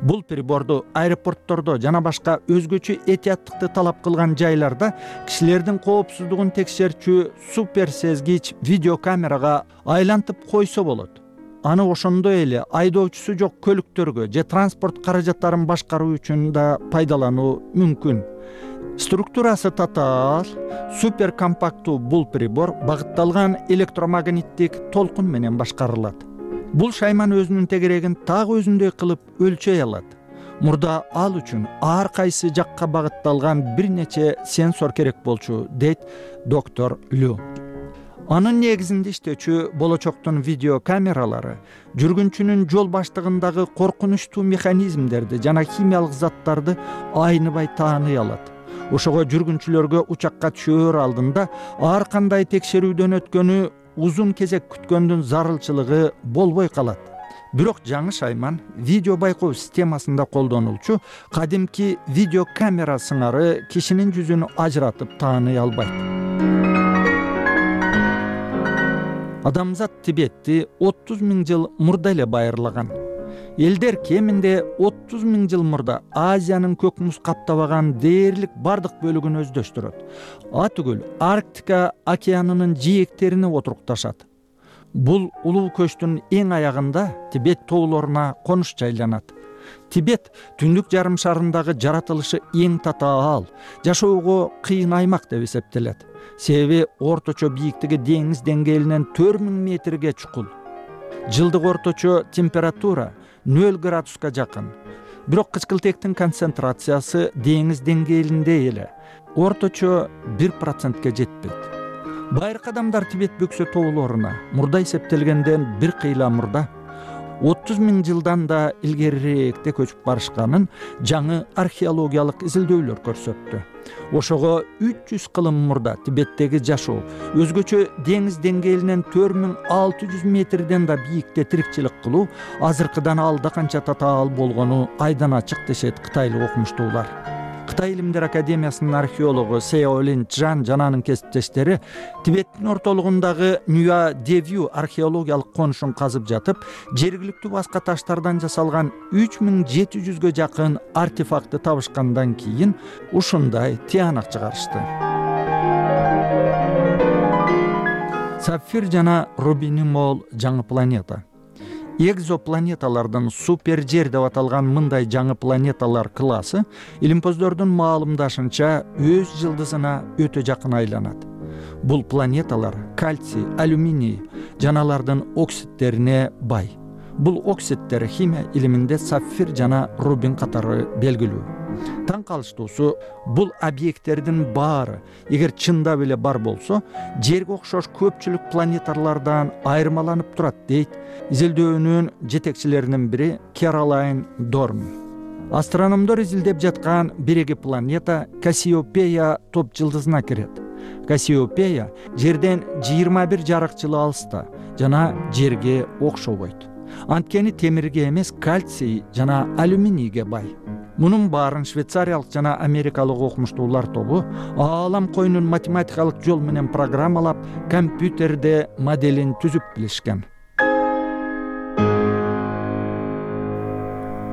Бул приборду аэропорттордо жана башка өзгөчө этияттыкты талап кылган жайларда кишилердин коопсуздугун текшерчү суперсезгич видеокамерага айлантып койсо болот. Аны ошондой эле айдоочусу жок көлүктөргө же транспорт каражаттарын башкаруу үчүн да пайдалануу мүмкүн. Структурасы татаал, суперкомпактуу бул прибор багытталган электромагниттик толкун менен башкарылат. Бул шайман өзүнүн тегерегин так өзүндөй кылып өлчөй алат. Мурда ал үчүн ар кайсы жакка багытталган бир нече сенсор керек болчу, дейт доктор Лю. Анын негизинде иштечү болочоктун видеокамералары жүргүнчүнүн жол баштыгындагы коркунучтуу механизмдерди жана химиялык заттарды айныбай тааный алат. Ошого жүргүнчүлөргө учакка түшөөр алдында ар кандай текшерүүдөн өткөнү, узун кезек күткөндүн зарылчылыгы болбой калат. Бирок жаңы шайман видео байкоо системасында колдонулчу кадимки видеокамера сыңары кишинин жүзүн ажыратып тааный албайт. Адамзат Тибетти отуз миң жыл мурда эле байырлаган. Элдер кеминде отуз миң жыл мурда Азиянын көк муз каптабаган дээрлик бардык бөлүгүн өздөштүрөт. А түгүл Арктика океанынын жээктерине отурукташат. Бул улуу көчтүн эң аягында Тибет тоолоруна конуш жайланат. Тибет түндүк жарым шарындагы жаратылышы эң татаал, жашоого кыйын аймак деп эсептелет. Себеби орточо бийиктиги деңиз деңгээлинен төрт миң метрге чукул. Жылдык орточо температура нөл градуска жакын. Бирок кычкылтектин концентрациясы деңиз деңгээлинде эле, орточо бир процентке жетпейт. Байыркы адамдар Тибет бөксө тоолоруна мурда эсептелгенден бир кыйла мурда отуз миң жылдан да илгерирээкте көчүп барышканын жаңы археологиялык изилдөөлөр көрсөттү. Ошого үч жүз кылым мурда Тибеттеги жашоо өзгөчө деңиз деңгээлинен төрт миң алты жүз метрден да бийикте тирикчилик кылуу азыркыдан алда канча татаал болгону айдан ачык дешет кытайлык окумуштуулар. Кытай илимдер академиясынын археологу Сеолин Чжан жана анын кесиптештери Тибеттин ортолугундагы Нюа Девью археологиялык конушун казып жатып, жергиликтүү баска таштардан жасалган үч миң жети жүзгө жакын артефактты табышкандан кийин ушундай тыянак чыгарышты. Сапфир жана рубини мол жаңы планета. Экзопланеталардын супер жер деп аталган мындай жаңы планеталар классы илимпоздордун маалымдашынча өз жылдызына өтө жакын айланат. Бул планеталар кальций, алюминий жана алардын оксидтерине бай. Бул оксидтер химия илиминде сапфир жана рубин катары белгилүү. Таң калыштуусу, бул объекттердин баары эгер чындап эле бар болсо, жерге окшош көпчүлүк планеталардан айырмаланып турат, дейт изилдөөнүн жетекчилеринин бири Кэролайн Дорн. Астрономдор изилдеп жаткан биреги планета Кассиопея топ жылдызына кирет. Кассиопея жерден жыйырма бир жарык жылы алыста жана жерге окшобойт. Анткени темирге эмес, кальций жана алюминийге бай. Мунун баарын швейцариялык жана америкалык окумуштуулар тобу аалам коюнун математикалык жол менен программалап, компьютерде моделин түзүп билишкен.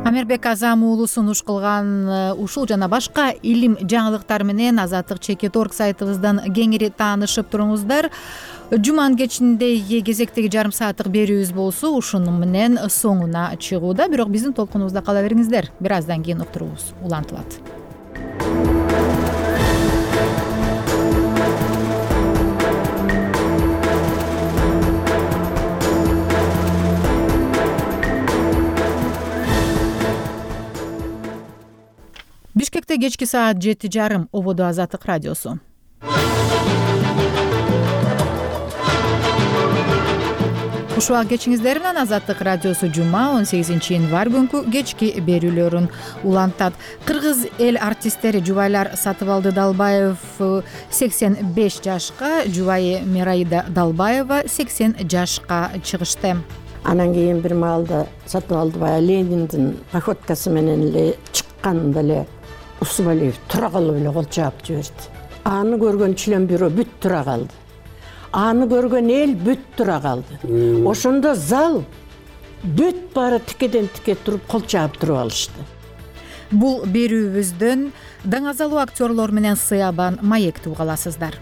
Амербек Азам уулу сунуш кылган ушул жана башка илим жаңылыктар менен Азаттык чекит орг сайтыбыздан кеңири таанышып туруңуздар. Жуманын кечинде кезектеги жарым сааттык берүүбүз болсо ушуну менен соңуна чыгууда. Бирок биздин толкунубузда кала бериңиздер. Бир аздан кийин уктуруубуз улантылат. Бишкекте кечки саат жети жарым. Ободо Азаттык радиосу. Ушуга кечиңиздер менен Азаттык радиосу жума он сегизинчи январь күнкү кечки берүүлөрүн улантат. Кыргыз эл артисттери Жубайлар Сатыбалды Далбаев сексен беш жашка, жубайы Мираида Далбаева сексен жашка чыгышты. Анан кийин бир маалда Сатыбалдыбай Лениндин походкасы менен эле чыкканда эле Усубалиев тура калып эле кол чаап жиберди. Аны көргөн член бюро бүт тура калды. Аны көргөн эл бүт тура калды. Ошондо зал бүт баары тикеден тике туруп кол чаап туруп алышты. Бул берүүбүздөн даңазалуу актерлор менен сыябан маекти уга аласыздар.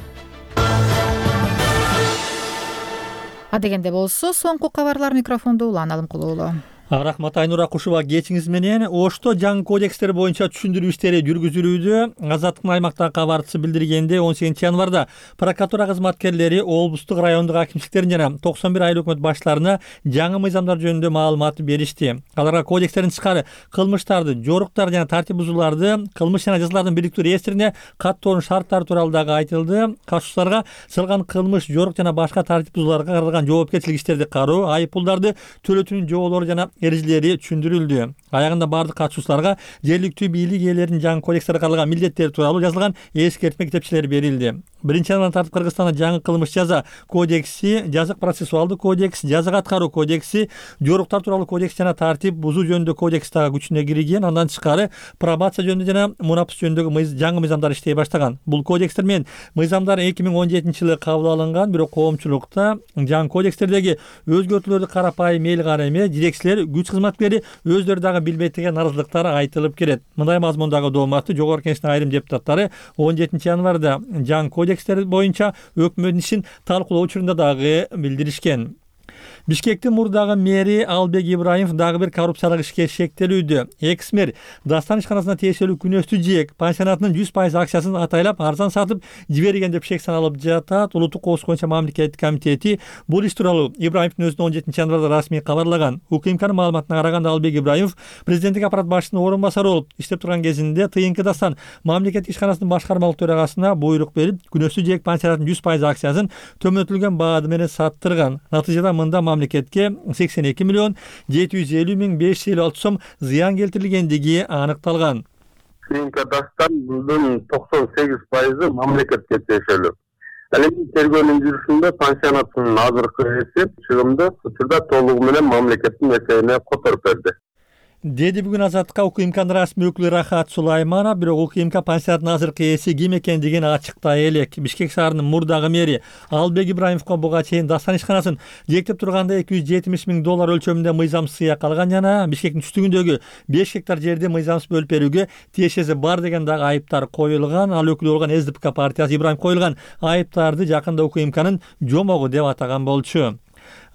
Адегенде болсо соңку кабарлар микрофондо Улан Алымкулуулу. Рахмат Айнура Кушуба, кечиңиз менен. Ошто жаңы кодекстер боюнча түшүндүрүү иштери жүргүзүлүүдө. Азаттыктын аймактагы кабарчысы билдиргенде он сегизинчи январда прокуратура кызматкерлери облустук райондук акимчиликтерин жана токсон бир айыл өкмөт баштарына жаңы мыйзамдар жөнүндө маалымат беришти. Аларга кодекстердин тышкары кылмыштарды, жоруктар жана тартип бузууларды кылмыш жана жазалардын бириктүү реестрине каттоонун шарттары тууралуу дагы айтылды. Катышуучуларга сылган кылмыш, жорук жана башка тартип бузууларга каралган жоопкерчилик иштерди кароо, айып пулдарды төлөтүүнүн жоболору жана эрежелери түшүндүрүлдү. Аягында бардык катышуучуларга жергиликтүү бийлик ээлеринин жаңы кодекстерде каралган милдеттери тууралуу жазылган эскертме китепчелери берилди. Биринчи январдан тартып Кыргызстанда жаңы кылмыш жаза кодекси, жазык процессуалдуу кодекс, жаза аткаруу кодекси, жоруктар тууралуу кодекс жана тартип бузуу жөнүндө кодекс дагы күчүнө кирген. Андан тышкары пробация жөнүндө жана мунапыс жөнүндөгү жаңы мыйзамдар иштей баштаган. Бул кодекстер менен мыйзамдар эки миң он жетинчи жылы кабыл алынган, бирок коомчулукта жаңы кодекстердеги өзгөртүүлөрдү карапайым эл кара эмес, жетекчилер, күч кызматкерлери өздөрү дагы билбейт деген наразылыктар айтылып келет. Мындай мазмундагы дооматты Жогорку Кеңештин айрым депутаттары он жетинчи январда жаңы кодекстер боюнча өкмөттүн ишин талкуулоо учурунда дагы билдиришкен. Бишкектин мурдагы мэри Албек Ибраимов дагы бир коррупциялык ишке шектелүүдө. Экс мэр Дастан ишканасына тиешелүү Күнөстүү Жээк пансионатынын жүз пайыз акчасын атайлап арзан сатып жиберген деп шек саналып жатат. Улуттук коопсуздук боюнча мамлекеттик комитети бул иш тууралуу Ибраимовдун өзүнө он жетинчи январда расмий кабарлаган. УКМКнын маалыматына караганда Албек Ибраимов президенттик аппарат башчысынын орун басары болуп иштеп турган кезинде ТНК Дастан мамлекеттик ишканасынын башкармалык төрагасына буйрук берип, Күнөстүү Жээк пансионатынын жүз пайыз акчасын төмөнөтүлгөн баада менен саттырган. Натыйжада мында мамлекетке сексен эки миллион жети жүз элүү миң беш жүз элүү алты сом зыян келтирилгендиги аныкталган. ТНК Дастандын токсон сегиз пайызы мамлекетке тиешелүү. Ал эми тергөөнүн жүрүшүндө пансионаттын азыркы ээси чыгымды учурда толугу менен мамлекеттин эсебине которуп берди, деди бүгүн Азаттыкка УКМКнын расмий өкүлү Рахат Сулайманов. Бирок УКМК пансионаттын азыркы ээси ким экендигин ачыктай элек. Бишкек шаарынын мурдагы мэри Албек Ибраимовго буга чейин Дастан ишканасын жектеп турганда эки жүз жетимиш миң доллар өлчөмүндө мыйзам сыя калган жана Бишкектин түштүгүндөгү беш гектар жерди мыйзамсыз бөлүп берүүгө тиешеси бар деген дагы айыптар коюлган. Ал өкүлү болгон СДПК партиясы Ибраимов коюлган айыптарды жакында УКМКнын жомогу деп атаган болчу.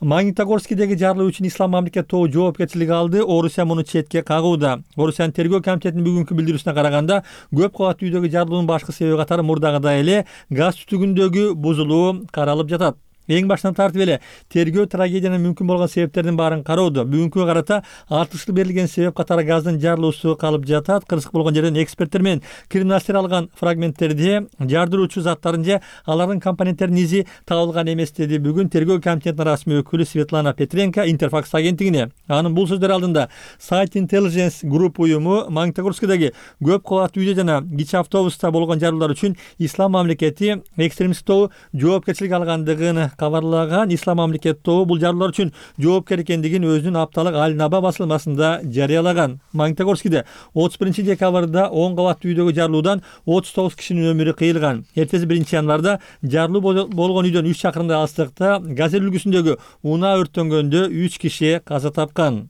Магнитогорскийдеги жарылуу үчүн Ислам мамлекет тобу жоопкерчилик алды. Орусия муну четке кагууда. Орусиянын тергөө комитетинин бүгүнкү билдирүүсүнө караганда, көп кабаттуу үйдөгү жарылуунун башкы себеби катары мурдагыдай эле газ түтүгүндөгү бузулуу каралып жатат. эң башынан тартып эле тергөө трагедиянын мүмкүн болгон себептердин баарын кароодо. Бүгүнкүгө карата артыштуу берилген себеп катары газдын жарылуусу калып жатат. Кырсык болгон жерден эксперттер менен криминалисттер алган фрагменттерде жардыруучу заттардын же алардын компоненттеринин изи табылган эмес, деди бүгүн тергөө комитетинин расмий өкүлү Светлана Петренко Интерфакс агенттигине. Анын бул сөздөр алдында Site Intelligence Group уюму Магнитогорскидagi көп кабаттуу үйдө жана кичи автобуста болгон жарылуулар үчүн Ислам мамлекети экстремисттик тобу жоопкерчилик алгандыгын кабарлаган. Ислам мамлекети тобу бул жарылуулар үчүн жоопкер экендигин өзүнүн апталык Аль-Наба басылмасында жарыялаган. Магнитогорскиде отуз биринчи декабрда он кабаттуу үйдөгү жарылуудан отуз тогуз кишинин өмүрү кыйылган. Эртеси биринчи январда жарылуу болгон үйдөн үч чакырымдай алыстыкта Газель үлгүсүндөгү унаа өрттөнгөндө үч киши каза тапкан.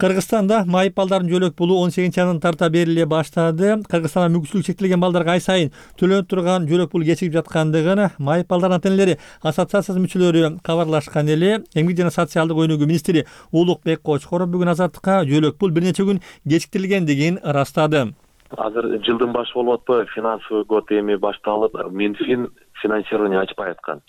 Кыргызстанда майып балдардын жөлөк пулу он сегизинчи январдан тарта бериле баштады. Кыргызстанда мүмкүнчүлүгү чектелген балдарга ай сайын төлөнүп турган жөлөк пул кечигип жаткандыгын майып балдардын ата-энелери ассоциациясынын мүчөлөрү кабарлашкан эле. Эмгек жана социалдык өнүгүү министри Улукбек Кочкоров бүгүн Азаттыкка жөлөк пул бир нече күн кечиктирилгендигин ырастады. Азыр жылдын башы болуп атпайбы, финансовый год эми башталып, Минфин финансирование ачпай аткан.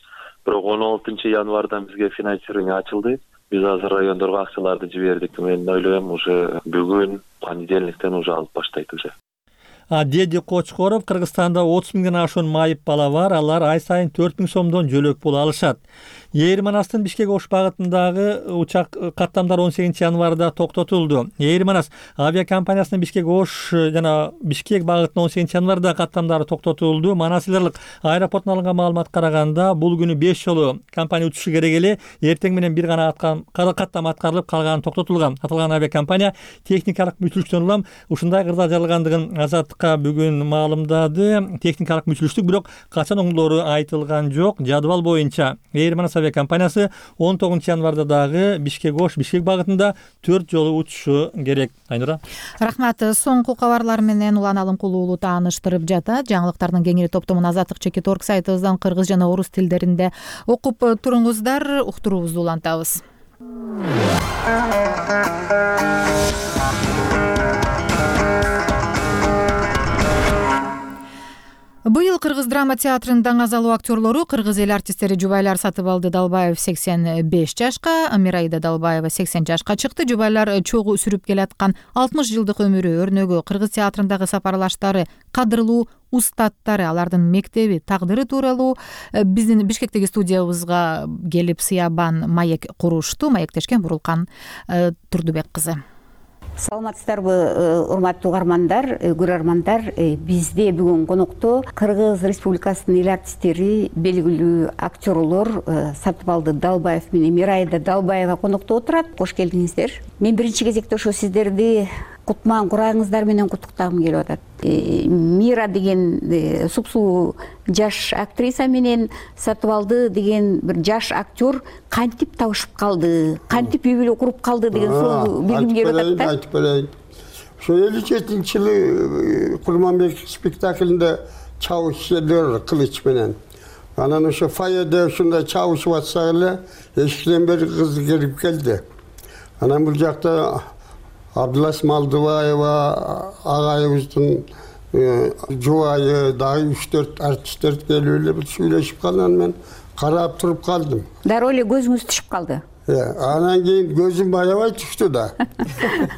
Бирок он алтынчы январдан бизге финансирование ачылды. Биз азыр райондорго акчаларды жибердик. Мен ойлойм, уже бүгүн понедельниктен уже алып баштайт уже. Деди Кочкоров, Кыргызстанда отуз миңден ашуун майып бала бар. Алар ай сайын төрт миң сомдон жөлөк пул алышат. Эйр Манастын Бишкек Ош багытындагы учак каттамдар он сегизинчи январда токтотулду. Эйр Манас авиакомпаниясынын Бишкек Ош жана Бишкек багытына он сегизинчи январда каттамдары токтотулду. Манасилерлик аэропортунан алынган маалыматка караганда бул күнү беш жолу компания учушу керек эле. Эртең менен бир гана каттам аткарылып калганы токтотулган. Аталган авиакомпания техникалык мүчүлүктөн улам ушундай кырдаал жаралгандыгын Азаттыкка бүгүн маалымдады. Техникалык мүчүлүштүк бирок качан оңдолору айтылган жок. Жадыбал боюнча Эйр Манас авиакомпаниясы он тогузунчу январда дагы Бишкек Ош Бишкек багытында төрт жолу учушу керек. Айнура. Рахмат. Соңку кабарлар менен Улан Алымкулуу тааныштырып жатат. Жаңылыктардын кеңири топтомун Азаттык чекит орг сайтыбыздан кыргыз жана орус тилдеринде окуп туруңуздар. Уктуруубузду улантабыз. Быйыл Кыргыз драма театрынын даңазалуу актерлору кыргыз эл артисттери Жубайлар Сатыбалды Далбаев сексен беш жашка, Мирайда Далбаева сексен жашка чыкты. Жубайлар чогуу сүрүп келаткан алтымыш жылдык өмүрү, өрнөгү, кыргыз театрындагы сапарлаштары, кадырлуу устаттары, алардын мектеби, тагдыры тууралуу биздин Бишкектеги студиябызга келип сыябан маек курушту. Маектешкен Бурулкан Турдубек кызы. Саламатсыздарбы, урматтуу угармандар, көрөрмандар. Бизде бүгүн конокто Кыргыз Республикасынын эл артисттери, белгилүү актерлор Сатыбалды Далбаев менен Мирайда Далбаева конокто отурат. Кош келдиңиздер. Мен биринчи кезекте ошо сиздерди кутман курагыңыздар менен куттуктагым келип атат. Мира деген супсуу жаш актриса менен Сатыбалды деген бир жаш актер кантип табышып калды, кантип үй бүлө куруп калды деген суроолду билгим келип атат да. Айтып берейин. Ошо элүү жетинчи жылы Курманбек спектаклинде чабышчылар кылыч менен. Анан ошо фойеде ушундай чабышып атсак эле эшиктен бери кыз кирип келди. Анан бул жакта Абдулас Малдыбаева агайыбыздын жубайы дагы үч төрт артисттер келип эле бир сүйлөшүп калган, мен карап туруп калдым. Дароо эле көзүңүз түшүп калды. Анан кийин көзүм аябай түштү да.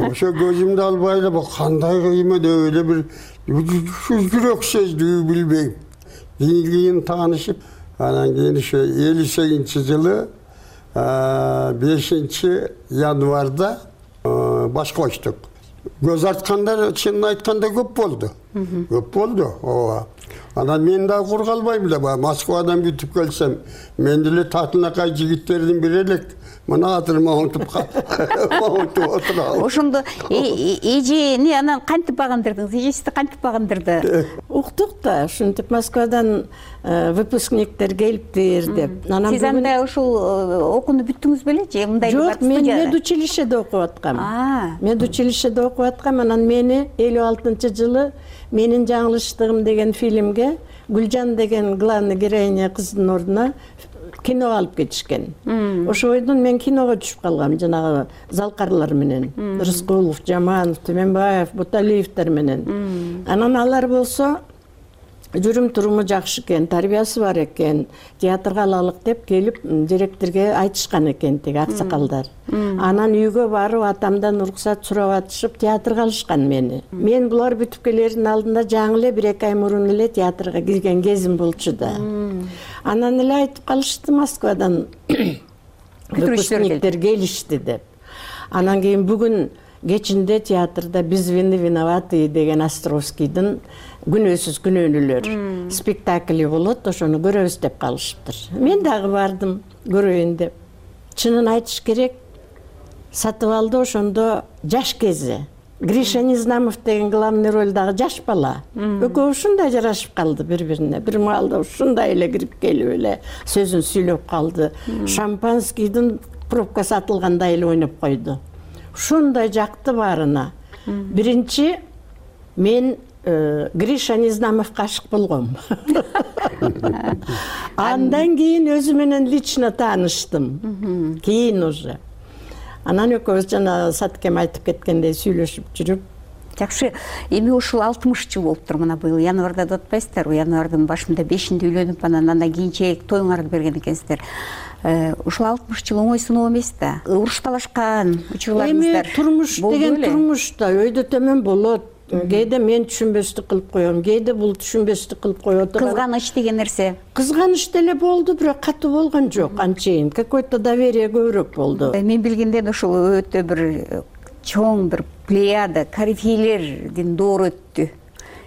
Ошо көзүмдү албай эле бул кандай кыймы деп эле бир жүрөк сездүү билбейм. Кийин кийин таанышып, анан кийин ошо элүү сегизинчи жылы бешинчи январда баш коштук. Көз арткандар чынын айтканда көп болду. Көп болду. Ооба. Анан мен дагы кур калбайм да, Москвадан бүтүп келсем, мен деле татынакай жигиттердин бири элек. Мына атырма онтуп онтуп отурабыз. Ошондо эжени анан кантип багындырдыңыз? Эжеси кантип багындырды? Уктук да, ушинтип Москвадан выпускниктер келиптир деп. Сиз анда ушул окууну бүттүңүз беле же мындай? Жок, мен медучилищеде окуп аткам. Медучилищеде окуп аткам, анан мени элүү алтынчы жылы менин жаңылыштыгым деген фильмге Гүлжан деген главный героиня кыздын ордуна киного алып кетишкен. Ошо бойдон мен киного түшүп калгам, жанагы залкарлар менен. Рыскулов, Жаманов, Түмөнбаев, Буталиевдер менен. Анан алар болсо жүрүм туруму жакшы экен, тарбиясы бар экен, театрга алалык деп келип директорге айтышкан экен тиги аксакалдар. Анан үйгө барып атамдан уруксат сурап атышып театрга алышкан мени. Мен булар бүтүп келердин алдында жаңы эле бир эки ай мурун эле театрга кирген кезим болчу да. Анан эле айтып калышты Москвадан выпускниктер келишти деп. Анан кийин бүгүн кечинде театрда «Без вины виноваты» деген Островскийдин күнөөсүз күнөөнүлөр спектакли болот, ошону көрөбүз деп калышыптыр. Мен дагы бардым көрөйүн деп. Чынын айтыш керек, сатып алды ошондо жаш кези. Гриша Незнамов деген главный ролдагы жаш бала. Экөө ушундай жарашып калды бири-бирине. Бир маалда ушундай эле кирип келип эле сөзүн сүйлөп калды. Шампанскийдин пробкасы атылгандай эле ойноп койду. Ушундай жакты баарына. Биринчи мен Гриша Незнамовго ашык болгом. Андан кийин өзү менен лично тааныштым. Кийин уже. Анан экөөбүз жана Саткем айтып кеткендей сүйлөшүп жүрүп. Жакшы, эми ушул алтымыш жыл болуптур мына быйыл январда деп атпайсыздарбы? Январдын башында бешинде үйлөнүп, анан андан кийинчерээк тоюңарды берген экенсиздер. Ушул алтымыш жыл оңой сыноо эмес да. Уруш талашкан учурларыңыздар. Эми турмуш деген турмуш да, өйдө төмөн болот. Кээде мен түшүнбөстүк кылып коем, кээде бул түшүнбөстүк кылып коет. Кызганыч деген нерсе. Кызганыч деле болду, бирок катуу болгон жок анчейин. Какой-то доверие көбүрөөк болду. Мен билгенден ушул өтө бир чоң бир плеяда корифейлердин доору өттү.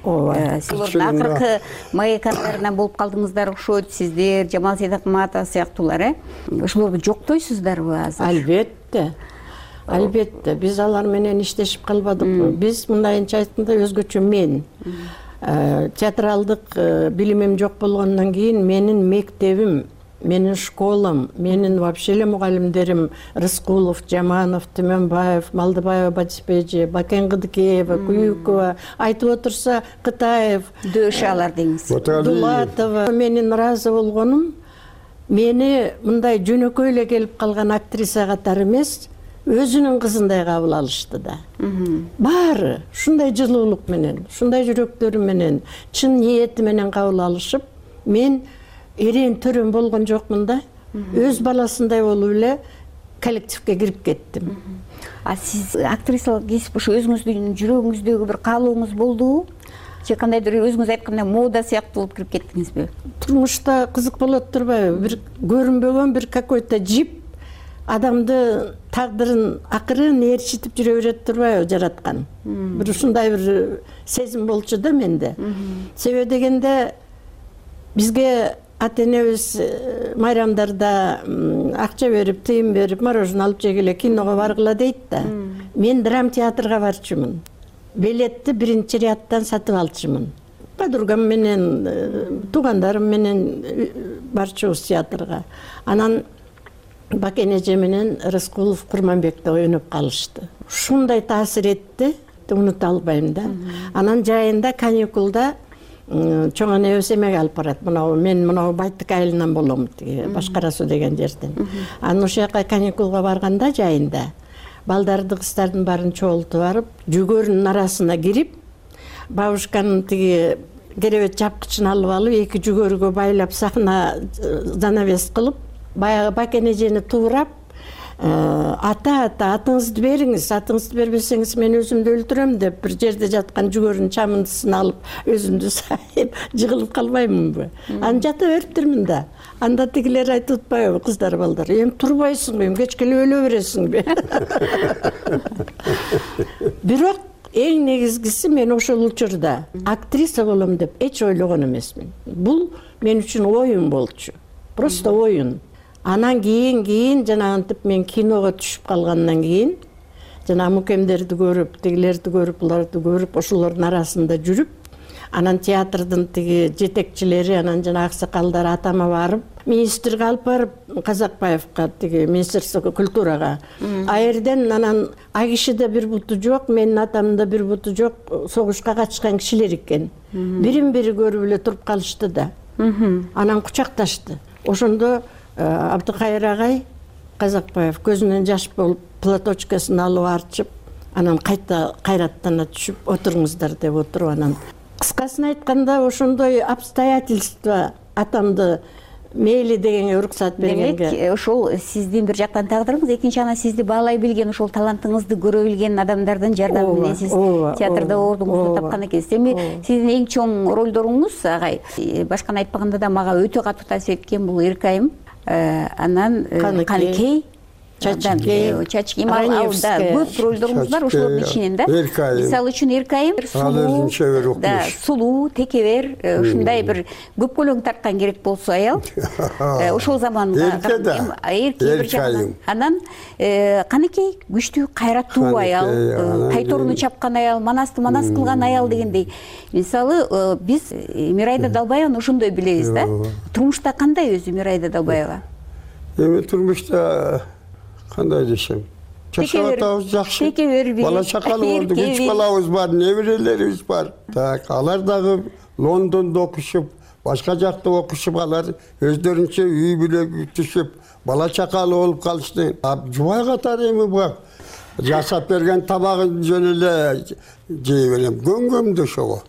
Силердин акыркы маякандарынан болуп калдыңыздар окшойт, сиздер, Жамал Сейдакматов сыяктуулар, э? Ошолорду жоктойсуздарбы азыр? Албетте. Албетте, биз алар менен иштешип калбадыкпы. Биз мындайынча айтканда өзгөчө мен. Театралдык билимим жок болгондон кийин менин мектебим, менин школам, менин вообще эле мугалимдерим Рыскулов, Жаманов, Түмөнбаев, Малдыбаева, Батиспежи, Бакен Кыдыкеева, Куюкова, айтып отурса Кытаев, дөшалар деңиз. Дулатова. Менин ыраазы болгонум, мени мындай жөнөкөй эле келип калган актриса катары эмес, өзүнүн кызындай кабыл алышты да. Баары ушундай жылуулук менен, ушундай жүрөктөрү менен, чын ниети менен кабыл алышып, мен эрен төрөм болгон жокмун да. Өз баласындай болуп эле коллективге кирип кеттим. А сиз актрисалык кесип ушу өзүңүздүн жүрөгүңүздөгү бир каалооңуз болдубу? Же кандайдыр өзүңүз айткандай мода сыяктуу болуп кирип кеттиңизби? Турмушта кызык болот турбайбы? Бир көрүнбөгөн бир какой-то жип адамды тагдырын акырын ээрчитип жүрө берет турбайбы жараткан. Бир ушундай бир сезим болчу да менде. Себеби дегенде бизге ата-энебиз майрамдарда акча берип, тыйын берип, мороженое алып жегиле, киного баргыла дейт да. Мен драм театрга барчумун. Билетти биринчи ряддан сатып алчумун. Подругам менен, туугандарым менен барчубуз театрга. Анан Бакен эже менен Рыскулов, Курманбекти ойноп калышты. Ушундай таасир этти, унута албайм да. Анан жайында каникулда чоң энебиз эмеге алып барат. Мына мен мына Байтык айылынан болом, тиги Башкара суу деген жерден. Анан ошол жака каникулга барганда жайында балдарды, кыздардын баарын чогултуп барып, жүгөрүнүн арасына кирип, бабушканын тиги керебет жапкычын алып алып, эки жүгөрүгө байлап сахна занавес кылып, баягы Бакен эжени туурап, ата ата атыңызды бериңиз, атыңызды бербесеңиз мен өзүмдү өлтүрөм деп бир жерде жаткан жүгөрүнүн чамындысын алып өзүмдү сайып жыгылып калбаймынбы? Анан жата бериптирмин да. Анда тигилер айтып атпайбы, кыздар балдар, эми турбайсыңбы, эми кечке эле өлө бересиңби? Бирок эң негизгиси мен ошол учурда актриса болом деп эч ойлогон эмесмин. Бул мен үчүн оюн болчу. Просто оюн. Анан кийин кийин жанагынтип мен киного түшүп калгандан кийин жана мукемдерди көрүп, тигилерди көрүп, буларды көрүп, ошолордун арасында жүрүп, анан театрдын тиги жетекчилери, анан жана аксакалдар атама барып, министрге алып барып, Казакбаевка, тиги Министерство культурага. А жерден анан а кишиде бир буту жок, менин атамда бир буту жок, согушка катышкан кишилер экен. Бирин бири көрүп эле туруп калышты да. Анан кучакташты. Ошондо Абдыкайыр агай Казакбаев көзүнөн жаш болуп, платочкасын алып арчып, анан кайта кайраттана түшүп, отуруңуздар деп отуруп, анан кыскасын айтканда ошондой обстоятельства атамды мейли дегенге уруксат бергенге. Демек ошол сиздин бир жактан тагдырыңыз, экинчи анан сизди баалай билген, ошол талантыңызды көрө билген адамдардын жардамы менен сиз театрда ордуңузду тапкан экенсиз. Эми сиздин эң чоң ролдоруңуз агай, башканы айтпаганда да мага өтө катуу таасир эткен бул Эркайым, анан Каныкей, Чачкей, Чачкей, да, көп ролдоруңуз бар ошолордун ичинен да. Мисалы үчүн Эркайым сулуу, да, сулуу, текебер, ушундай бир көп көлөң тарткан керек болсо аял. Ошол заманга эрке бир жактан. Анан Каныкей күчтүү, кайраттуу аял, тайторуну чапкан аял, манасты манас кылган аял дегендей. Мисалы биз Мирайда Далбаеваны ошондой билебиз да. Турмушта кандай өзү Мирайда Далбаева? Эми турмушта кандай десем, жашап атабыз жакшы. Бала чакалы болду, үч балабыз бар, неберелерибиз бар. Так, алар дагы Лондондо окушуп, башка жакта окушуп, алар өздөрүнчө үй бүлө түшүп, бала чакалы болуп калышты. Жубай катары эми бак, жасап берген табагын жөн эле жей берем, көңгөмдү ошого.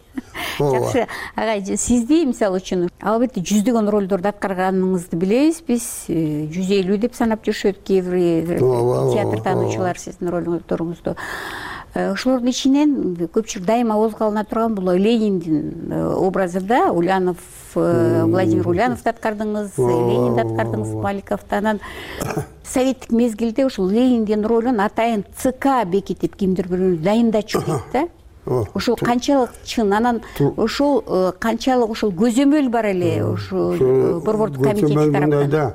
Жакшы, агай, сизди мисалы үчүн албетте жүздөгөн ролдорду аткарганыңызды билебиз биз, жүз элүү деп санап жүрүшөт кээ бир театр таануучулар сиздин ролдоруңузду. Ошолордун ичинен көпчүлүк дайыма козголуна турган бул Лениндин образы да, Улянов, Владимир Ульяновду аткардыңыз, Ленинди аткардыңыз, Маликовду. Анан советтик мезгилде ушул Лениндин ролун атайын ЦК бекитип кимдир бирөөнү дайындачу дейт да. Ошол канчалык чын, анан ошол канчалык ошол көзөмөл бар эле ошол борбордук комитет тараптан.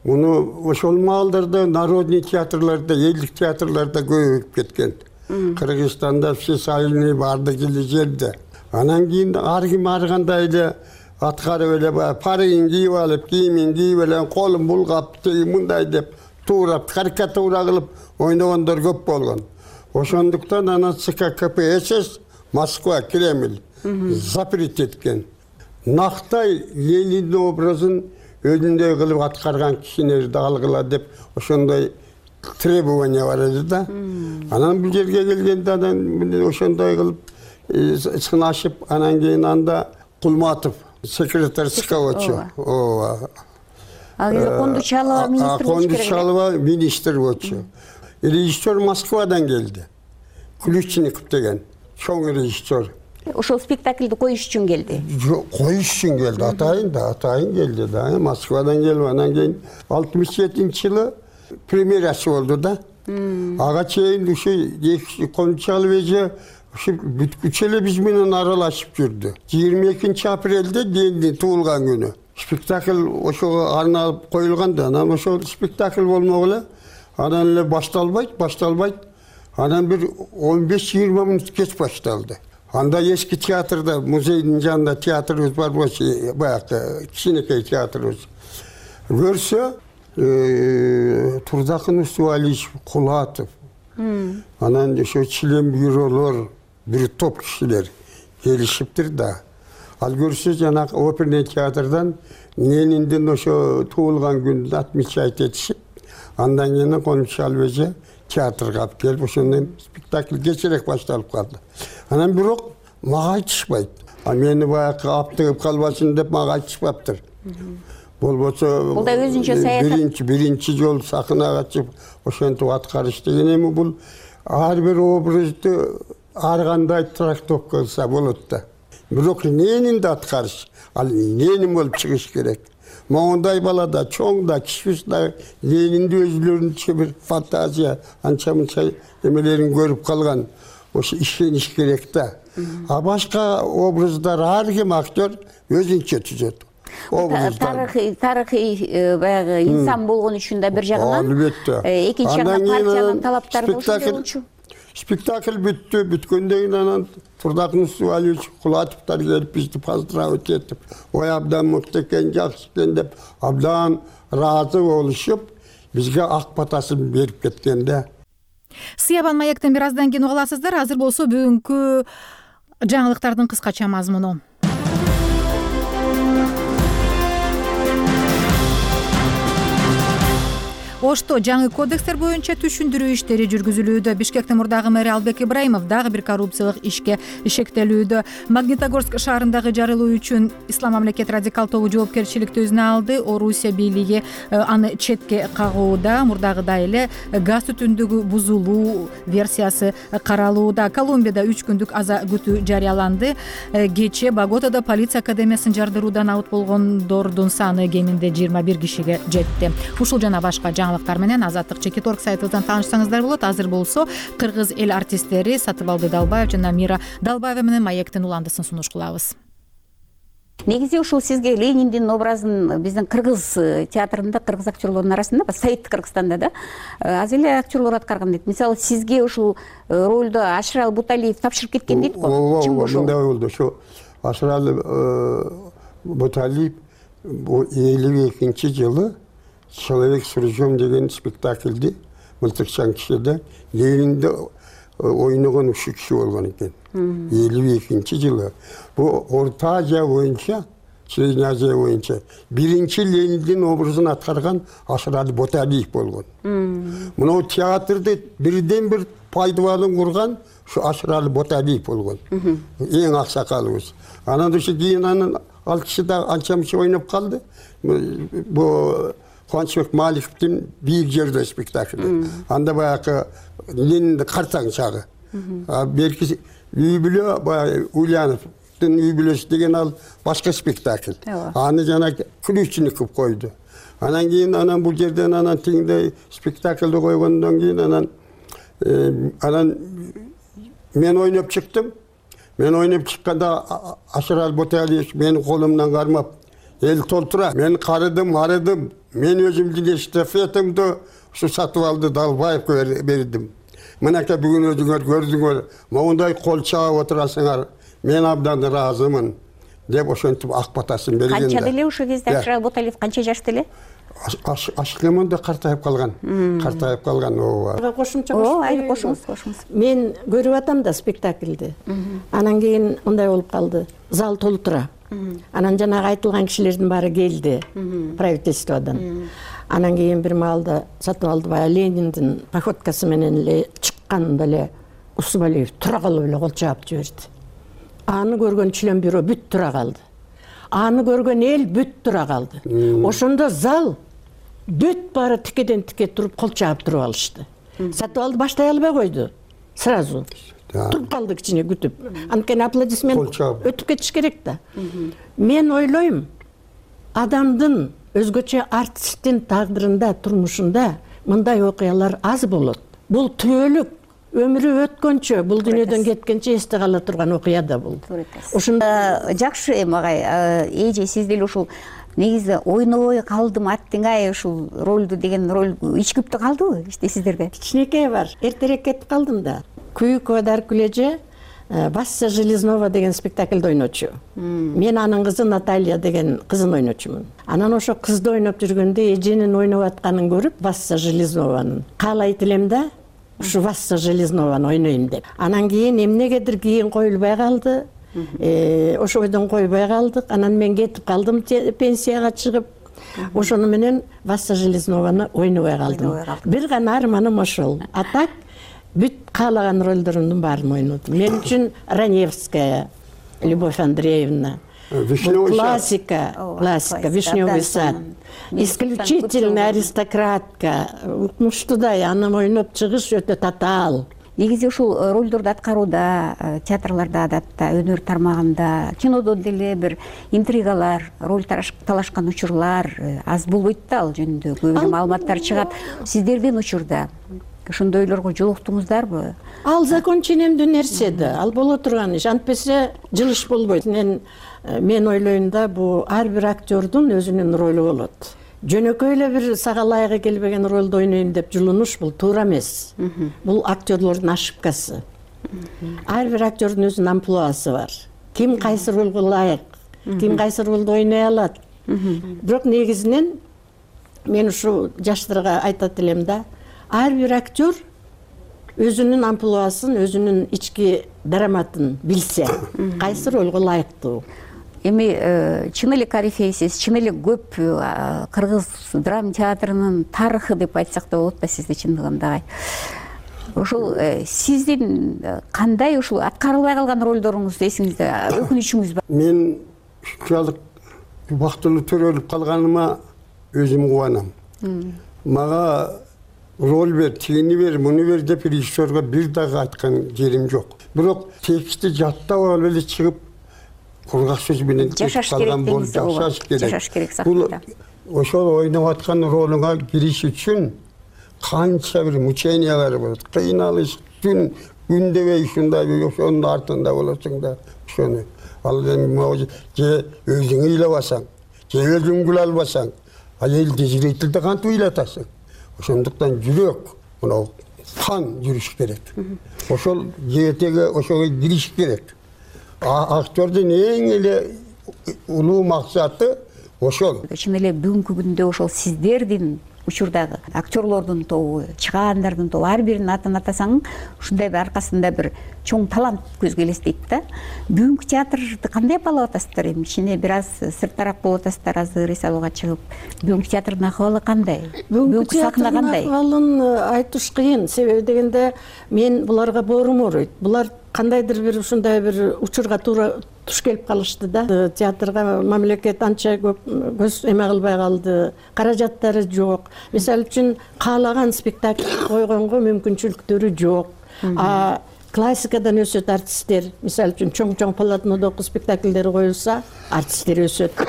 Муну ошол маалдарда народный театрларда, элдик театрларда көбөйүп кеткен. Кыргызстанда всесоюзный бардык эле жерде. Анан кийин ар ким ар кандай эле аткарып эле баягы парыгын кийип алып, кийимин кийип эле, колун булгап, мындай деп туурап, карикатура кылып ойногондор көп болгон. Ошондуктан анан ЦК КПСС Москва, Кремль запрет эткен. Нактай Лениндин образын өзүндөй кылып аткарган кишилерди алгыла деп ошондой требование бар эди да. Анан бул жерге келгенде анан ошондой кылып сынашып, анан кийин анда Кулматов секретарь ЦК болчу. Ооба. Ал кезде Кондучалова министр болчу. Кондучалова министр болчу. Режиссер Москвадан келди. Ключников деген чоң режиссер. Ошол спектакльди коюш үчүн келди. Коюш үчүн келди, атайын да, атайын келди да. Москвадан келип, анан кийин алтымыш жетинчи жылы премьерасы болду да. Ага чейин ушу Кондучалов эже ушу бүткүчө эле биз менен аралашып жүрдү. жыйырма экинчи апрелде Лениндин туулган күнү. Спектакль ошого арналып коюлган да, анан ошол спектакль болмок эле. Анан эле башталбайт, башталбайт. Анан бир он беш жыйырма мүнөт кеч башталды. Анда эски театрда, музейдин жанында театрыбыз бар болчу, баягы кичинекей театрыбыз. Көрсө, Турдакын Усубалиевич, Кулатов. Анан ошо член бюролор, бир топ кишилер келишиптир да. Ал көрсө жанагы оперный театрдан Лениндин ошо туулган күнүн отмечать этишип, андан кийин Кондучалов эже театрга алып келип, ошондон спектакль кечирээк башталып калды. Анан бирок мага айтышпайт. А мени баягы аптыгып калбасын деп мага айтышпаптыр. Болбосо бул да өзүнчө саясат. Биринчи биринчи жолу сахнага чыгып ошентип аткарыш деген эми бул ар бир образды ар кандай трактовка кылса болот да. Бирок Ленинди аткарыш, ал Ленин болуп чыгыш керек. Моундай балада, чоң да, кичүүс да Ленинди өзүлөрүнчө бир фантазия, анча-мынча эмелерин көрүп калган. Ошо ишениш керек да. А башка образдар ар ким актер өзүнчө түзөт. Тарыхый, тарыхый баягы инсан болгон үчүн да бир жагынан. Албетте. Экинчи жагынан партиянын талаптары да ошондой болчу. Спектакль бүттү, бүткөндөн кийин анан Турдакын Усубалиевич, Кулатовдор келип бизди поздравить этип, ой абдан мыкты экен, жакшы экен деп абдан ыраазы болушуп, бизге ак батасын берип кеткен да. Сыябан маектен бир аздан кийин уга аласыздар. Азыр болсо бүгүнкү жаңылыктардын кыскача мазмуну. Ошто жаңы кодекстер боюнча түшүндүрүү иштери жүргүзүлүүдө. Бишкектин мурдагы мэри Албек Ибраимов дагы бир коррупциялык ишке шектелүүдө. Магнитогорск шаарындагы жарылуу үчүн Ислам мамлекет радикал тобу жоопкерчиликти өзүнө алды. Орусия бийлиги аны четке кагууда. Мурдагыдай эле газ түтүндүгү бузулуу версиясы каралууда. Колумбияда үч күндүк аза күтүү жарыяланды. Кечээ Боготада полиция академиясын жардыруудан абыт болгондордун саны кеминде жыйырма бир кишиге жетти. Ушул жана башка жаңылыктар менен Азаттык чекит орг сайтыбыздан таанышсаңыздар болот. Азыр болсо кыргыз эл артисттери Сатыбалды Далбаев жана Мира Далбаева менен маектин уландысын сунуш кылабыз. Негизи ушул сизге Лениндин образын биздин кыргыз театрында, кыргыз актерлордун арасында, Совет Кыргызстанда да аз эле актерлор аткарган дейт. Мисалы, сизге ушул ролду Ашыралы Буталиев тапшырып кеткен дейт го. Ооба, мындай болду. Ошо Ашыралы Буталиев элүү экинчи жылы «Человек с ружьем» деген спектакльди Мылтыкчан кишиде Ленинди ойногон ушул киши болгон экен. элүү экинчи жылы. Бу Орто Азия боюнча, Средняя Азия боюнча биринчи Лениндин образын аткарган Ашыралы Буталиев болгон. Мына театрды бирден бир пайдаланып курган ушу Ашыралы Буталиев болгон. Эң аксакалыбыз. Анан ушу кийин анын ал киши да анча мынча ойноп калды. Бу Кубанычбек Маликовдун бийик жерде спектакли. Анда баягы Ленинди картаң чагы. Берки үй бүлө баягы Ульяновдун үй бүлөсү деген ал башка спектакль. Аны жана Ключников койду. Анан кийин анан бул жерден анан тиңде спектакльди койгондон кийин анан анан мен ойноп чыктым. Мен ойноп чыкканда Ашыралы Буталиев менин колумдан кармап, эл толтура. Мен карыдым, арыдым. Мен өзүмдүн эстафетамды ушу Сатыбалды Далбаевге бердим. Мынакей бүгүн өзүңөр көрдүңөр, моундай кол чаап отурасыңар. Мен абдан ыраазымын деп ошентип ак батасын берген. Канча деле ушул кезде Ашыралы Буталиев канча жашта эле? Ашыкемон да картайып калган. Картайып калган ооба. Кошумча Ооба, айыл кошуңуз, кошуңуз. Мен көрүп атам да спектакльди. Анан кийин мындай болуп калды. Зал толтура. Анан жанагы айтылган кишилердин баары келди правительстводон. Анан кийин бир маалда Сатыбалды баягы Лениндин походкасы менен эле чыкканда эле Усубалиев тура калып эле кол чаап жиберди. Аны көргөн член бюро бүт тура калды. Аны көргөн эл бүт тура калды. Ошондо зал бүт баары тикеден тике туруп кол чаап туруп алышты. Сатыбалды баштай албай койду. Сразу туруп калды кичине күтүп. Анткени аплодисмент өтүп кетиш керек да. Мен ойлойм, адамдын өзгөчө артисттин тагдырында, турмушунда мындай окуялар аз болот. Бул түбөлүк өмүрү өткөнчө, бул дүйнөдөн кеткенче эсте кала турган окуя да бул. Ошондо жакшы эми агай, эже сиз деле ушул негизи ойнобой калдым аттыңай ушул ролду деген роль ичкиптүү калдыбы иште сиздерге? Кичинекей бар. Эртерээк кетип калдым да. Күйүк Одар Күлеже Вася Железнова деген спектакльде ойночу. Мен анын кызы Наталья деген кызын ойночумун. Анан ошо кызды ойноп жүргөндө эженин ойноп атканын көрүп, Вася Железнованын каалайт элем да, ушу Вася Железнованы ойнойм деп. Анан кийин эмнегедир кийин коюлбай калды. Ошо ойдон койбой калдык. Анан мен кетип калдым пенсияга чыгып. Ошону менен Вася Железнованы ойнобой калдым. Бир гана арманым ошол. А так бүт каалаган ролдорумдун баарын ойнодум. Мен үчүн Раневская, Любовь Андреевна, классика, классика, Вишневый сад, исключительная аристократка, укмуштуудай аны ойноп чыгыш өтө татаал. Негизи ушул ролдорду аткарууда, театрларда адатта, өнөр тармагында, кинодо деле бир интригалар, роль талашкан учурлар аз болбойт да, ал жөнүндө көп эле маалыматтар чыгат. Сиздердин учурда ошондойлорго жолуктуңуздарбы? Ал закон ченемдүү нерсе да, ал боло турган иш. Антпесе жылыш болбойт. Мен мен ойлойм да, бу ар бир актёрдун өзүнүн ролу болот. Жөнөкөй эле бир сага ылайыгы келбеген ролду ойнойм деп жулунуш бул туура эмес. Бул актёрлордун ошибкасы. Ар бир актёрдун өзүнүн амплуасы бар. Ким кайсы ролго ылайык, ким кайсы ролду ойной алат. Бирок негизинен мен ушу жаштарга айтат элем да, ар бир актер өзүнүн амплуасын, өзүнүн ички дараматын билсе, кайсы ролго ылайыктуу. эми чын эле корифейсиз, чын эле көп кыргыз драма театрынын тарыхы деп айтсак да болот да сизди чындыгында агай. Ошол сиздин кандай ушул аткарылбай калган ролдоруңуз эсиңизде, өкүнүчүңүз бар? Мен ушунчалык убактылуу төрөлүп калганыма өзүм кубанам. Мага роль бер, тигини бер, муну бер деп режиссерге бир дагы айткан жерим жок. Бирок текстти жаттап алып эле чыгып кургак сөз менен жашаш керек деңиз. Жашаш керек. Жашаш керек сахнада. Ошол ойноп аткан ролуңа кириш үчүн канча бир мучениялар болот. Кыйналыш, түн күндебей ушундай бир ошонун артында болосуң да, ошону. Ал эми же өзүң ыйлабасаң, же өзүң күлө албасаң, ал элди зрительди кантип ыйлатасың? Ошондуктан жүрөк, мына кан жүрүш керек. Ошол жегетеге ошого кириш керек. Актердин эң эле улуу максаты ошол. Чын эле бүгүнкү күндө ошол сиздердин учурдагы актерлордун тобу, чыгаандардын тобу ар биринин атын атасаң, ушундай бир аркасында бир чоң талант көзгө элестейт да. Бүгүнкү театрды кандай баалап атасыздар? Эми кичине бир аз сырттараак болуп атасыздар, азыр эсалууга чыгып. Бүгүнкү театрдын акыбалы кандай? Бүгүнкү сахна кандай? Акыбалын айтыш кыйын. Себеби дегенде мен буларга боорум ооруйт. Булар кандайдыр бир ушундай бир учурга туура туш келип калышты да. Театрга мамлекет анча көп көз эме кылбай калды. Каражаттары жок. Мисалы үчүн каалаган спектакль койгонго мүмкүнчүлүктөрү жок. А классикадан өсөт артисттер. Мисалы үчүн чоң-чоң полотнодогу спектакльдер коюлса, артисттер өсөт.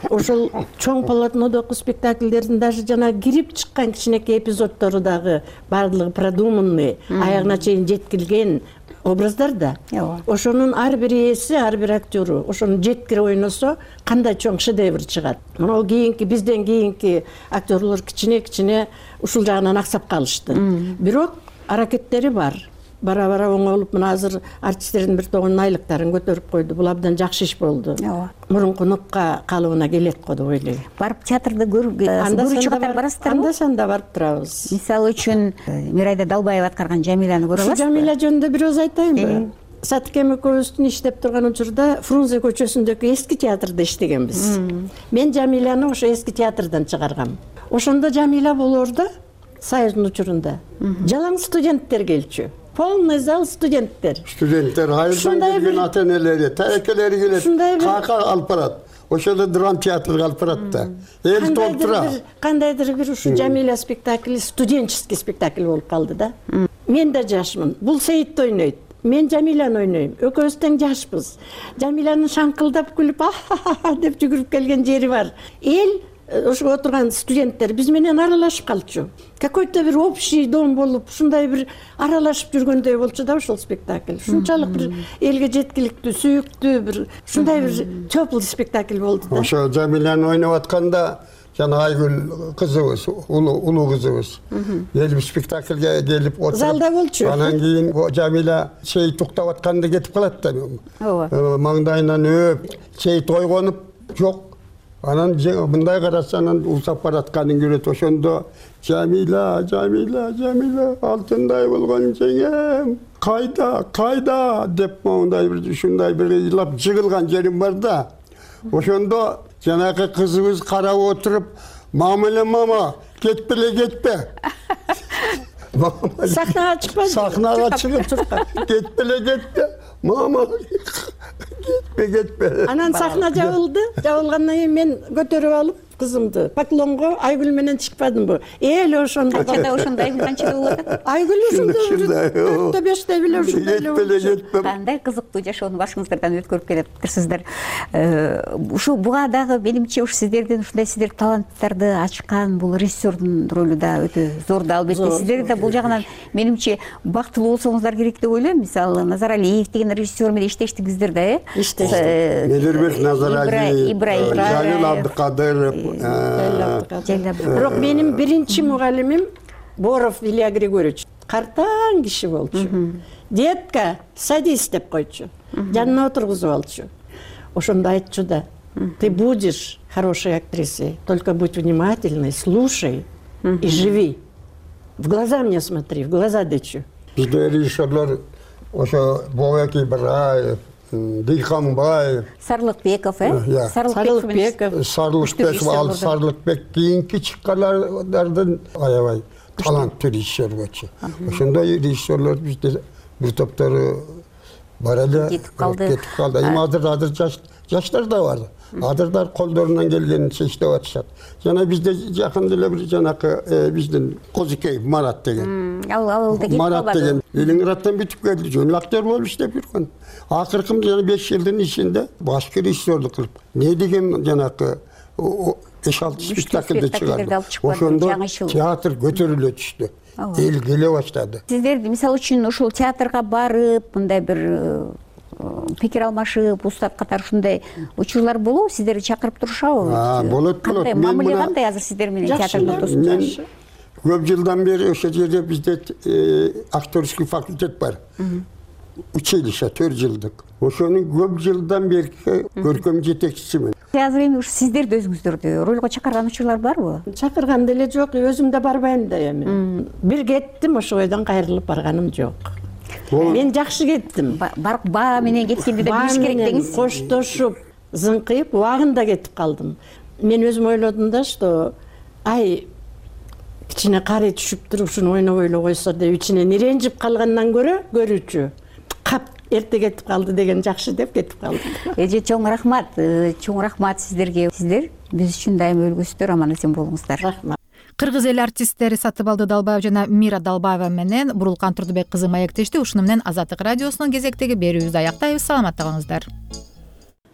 Ошол чоң полотнодогу спектакльдердин даже жана кирип чыккан кичинекей эпизоддору дагы баардыгы продуманный, аягына чейин жеткилген образдар да. Ошонун ар бир ээси, ар бир актеру ошону жеткире ойносо, кандай чоң шедевр чыгат. Мына кийинки бизден кийинки актерлор кичине-кичине ушул жагынан аксап калышты. Бирок аракеттери бар. Бара-бара оңолуп, мына азыр артисттердин бир тобунун айлыктарын көтөрүп койду. Бул абдан жакшы иш болду. Мурунку нукка калыбына келет го деп ойлойм. Барып театрда көрүүчү катары барасыздарбы? Анда санда барып турабыз. Мисалы үчүн Мирайда Далбаева аткарган Жамиланы көрө аласызбы? Жамиля жөнүндө бир өз айтайынбы? Сатыкем экөөбүздүн иштеп турган учурда Фрунзе көчөсүндөгү эски театрда иштегенбиз. Мен Жамиляны ошо эски театрдан чыгаргам. Ошондо Жамиля болоорда Союздун учурунда жалаң студенттер келчү. Полный зал студенттер. Студенттер, айылдан келген ата-энелери, тайекелери келет, кака алып барат. Ошондо драм театрга алып барат да. Эл толтура. Кандайдыр бир ушу Жамиля спектакли студенческий спектакль болуп калды да. Мен да жашмын. Бул Сейитти ойнойт. Мен Жамиляны ойнойм. Экөөбүз тең жашпыз. Жамилянын шаңкылдап күлүп а деп жүгүрүп келген жери бар. Эл ошо отурган студенттер биз менен аралашып калчу. Какой-то бир общий дом болуп, ушундай бир аралашып жүргөндөй болчу да ошол спектакль. Ушунчалык бир элге жеткиликтүү, сүйүктүү бир ушундай бир теплый спектакль болду да. Ошо Жамиляны ойноп атканда жана Айгүл кызыбыз, улуу кызыбыз келип спектакльге келип отуруп залда болчу. Анан кийин Жамиля Сейит уктап атканда кетип калат да. Маңдайынан өп, Сейит ойгонуп, жок. Анан мындай караса, анан усап баратканын көрөт. Ошондо Жамиля, Жамиля, Жамиля, алтындай болгон жеңем, кайда, кайда деп мондай бир ушундай бир ыйлап жыгылган жерим бар да. Ошондо жанагы кызыбыз карап отуруп, "Мамиле мама, кетпеле, кетпе." Сахнага чыкпа. Сахнага чыгып, "Кетпеле, кетпе." Мама кетпе, кетпе. Анан сахна жабылды. Жабылгандан кийин мен көтөрүп алып кызымды Поклонго Айгүл менен чыкпадымбы? Эл ошондо. Канчада ошондо Айгүл канчада болот? Айгүл ошондо төрттө бештеби эле ушундай эле болчу. Кандай кызыктуу жашоону башыңыздардан өткөрүп келатырсыздар. Ушу буга дагы менимче ушу сиздердин ушундай сиздер таланттарды ачкан бул режиссердун ролу да өтө зор да албетте. Сиздер да бул жагынан менимче бактылуу болсоңуздар керек деп ойлойм. Мисалы Назаралиев деген режиссер менен иштештиңиздер да, э? Иштештик. Медербек Назаралиев, Жалил Абдыкадыров. Бирок менин биринчи мугалимим Боров Илья Григорьевич. Картаң киши болчу. Детка, садись деп койчу. Жанына отургузуп алчу. Ошондо айтчу да: "Ты будешь хорошей актрисой, только будь внимательной, слушай и живи. В глаза мне смотри, в глаза дечу." Бизде режиссерлор ошо Бобек Ибраев, Дыйканбаев, Сарлыкбеков, э? Сарлыкбеков, Сарлыкбеков, ал Сарлыкбек кийинки чыккандардын аябай таланттуу режиссер болчу. Ошондой режиссерлор бизде бир топтору бар эле, кетип калды. Кетип калды. Эми азыр азыр жаштар да бар. Азырдар колдорунан келгенинче иштеп атышат. Жана бизде жакында эле бир жанакы биздин Козыкеев Марат деген. Ал ал да кетип калбады. Марат деген Ленинградтан бүтүп келди, жөн актер болуп иштеп жүргөн. Акыркы жана беш жылдын ичинде башкы режиссерлук кылып, не деген жанакы беш алты спектакльде чыгарды. Ошондо театр көтөрүлө түштү. Эл келе баштады. Сиздер мисалы үчүн ушул театрга барып, мындай бир пикир алмашып, устат катары ушундай учурлар болобу? Сиздерди чакырып турушабы? Болот, болот. Мамиле кандай азыр сиздер менен театрда достук? Көп жылдан бери ошол жерде бизде актерский факультет бар. Училище төрт жылдык. Ошонун көп жылдан берки көркөм жетекчисимин. Азыр эми ушу сиздерди өзүңүздөрдү ролго чакырган учурлар барбы? Чакырган деле жок, өзүм да барбайм да эми. Бир кеттим, ошол бойдон кайрылып барганым жок. Мен жакшы кеттим. Барып баа менен кеткенди да билиш керек деңиз. Коштошуп, зыңкыйып, убагында кетип калдым. Мен өзүм ойлодум да, что ай кичине карый түшүп туруп ушуну ойноп ойлой койсо деп ичинен иренжип калгандан көрө көрүүчү кап эрте кетип калды деген жакшы деп кетип калдым. Эже чоң рахмат, чоң рахмат сиздерге. Сиздер биз үчүн дайыма өлгүсүздөр, аман эсен болуңуздар. Рахмат. Кыргыз эл артисттери Сатыбалды Далбаев жана Мира Далбаева менен Бурулкан Турдубек кызы маектешти. Ушуну менен Азаттык радиосунун кезектеги берүүбүздү аяктайбыз. Саламатта калыңыздар.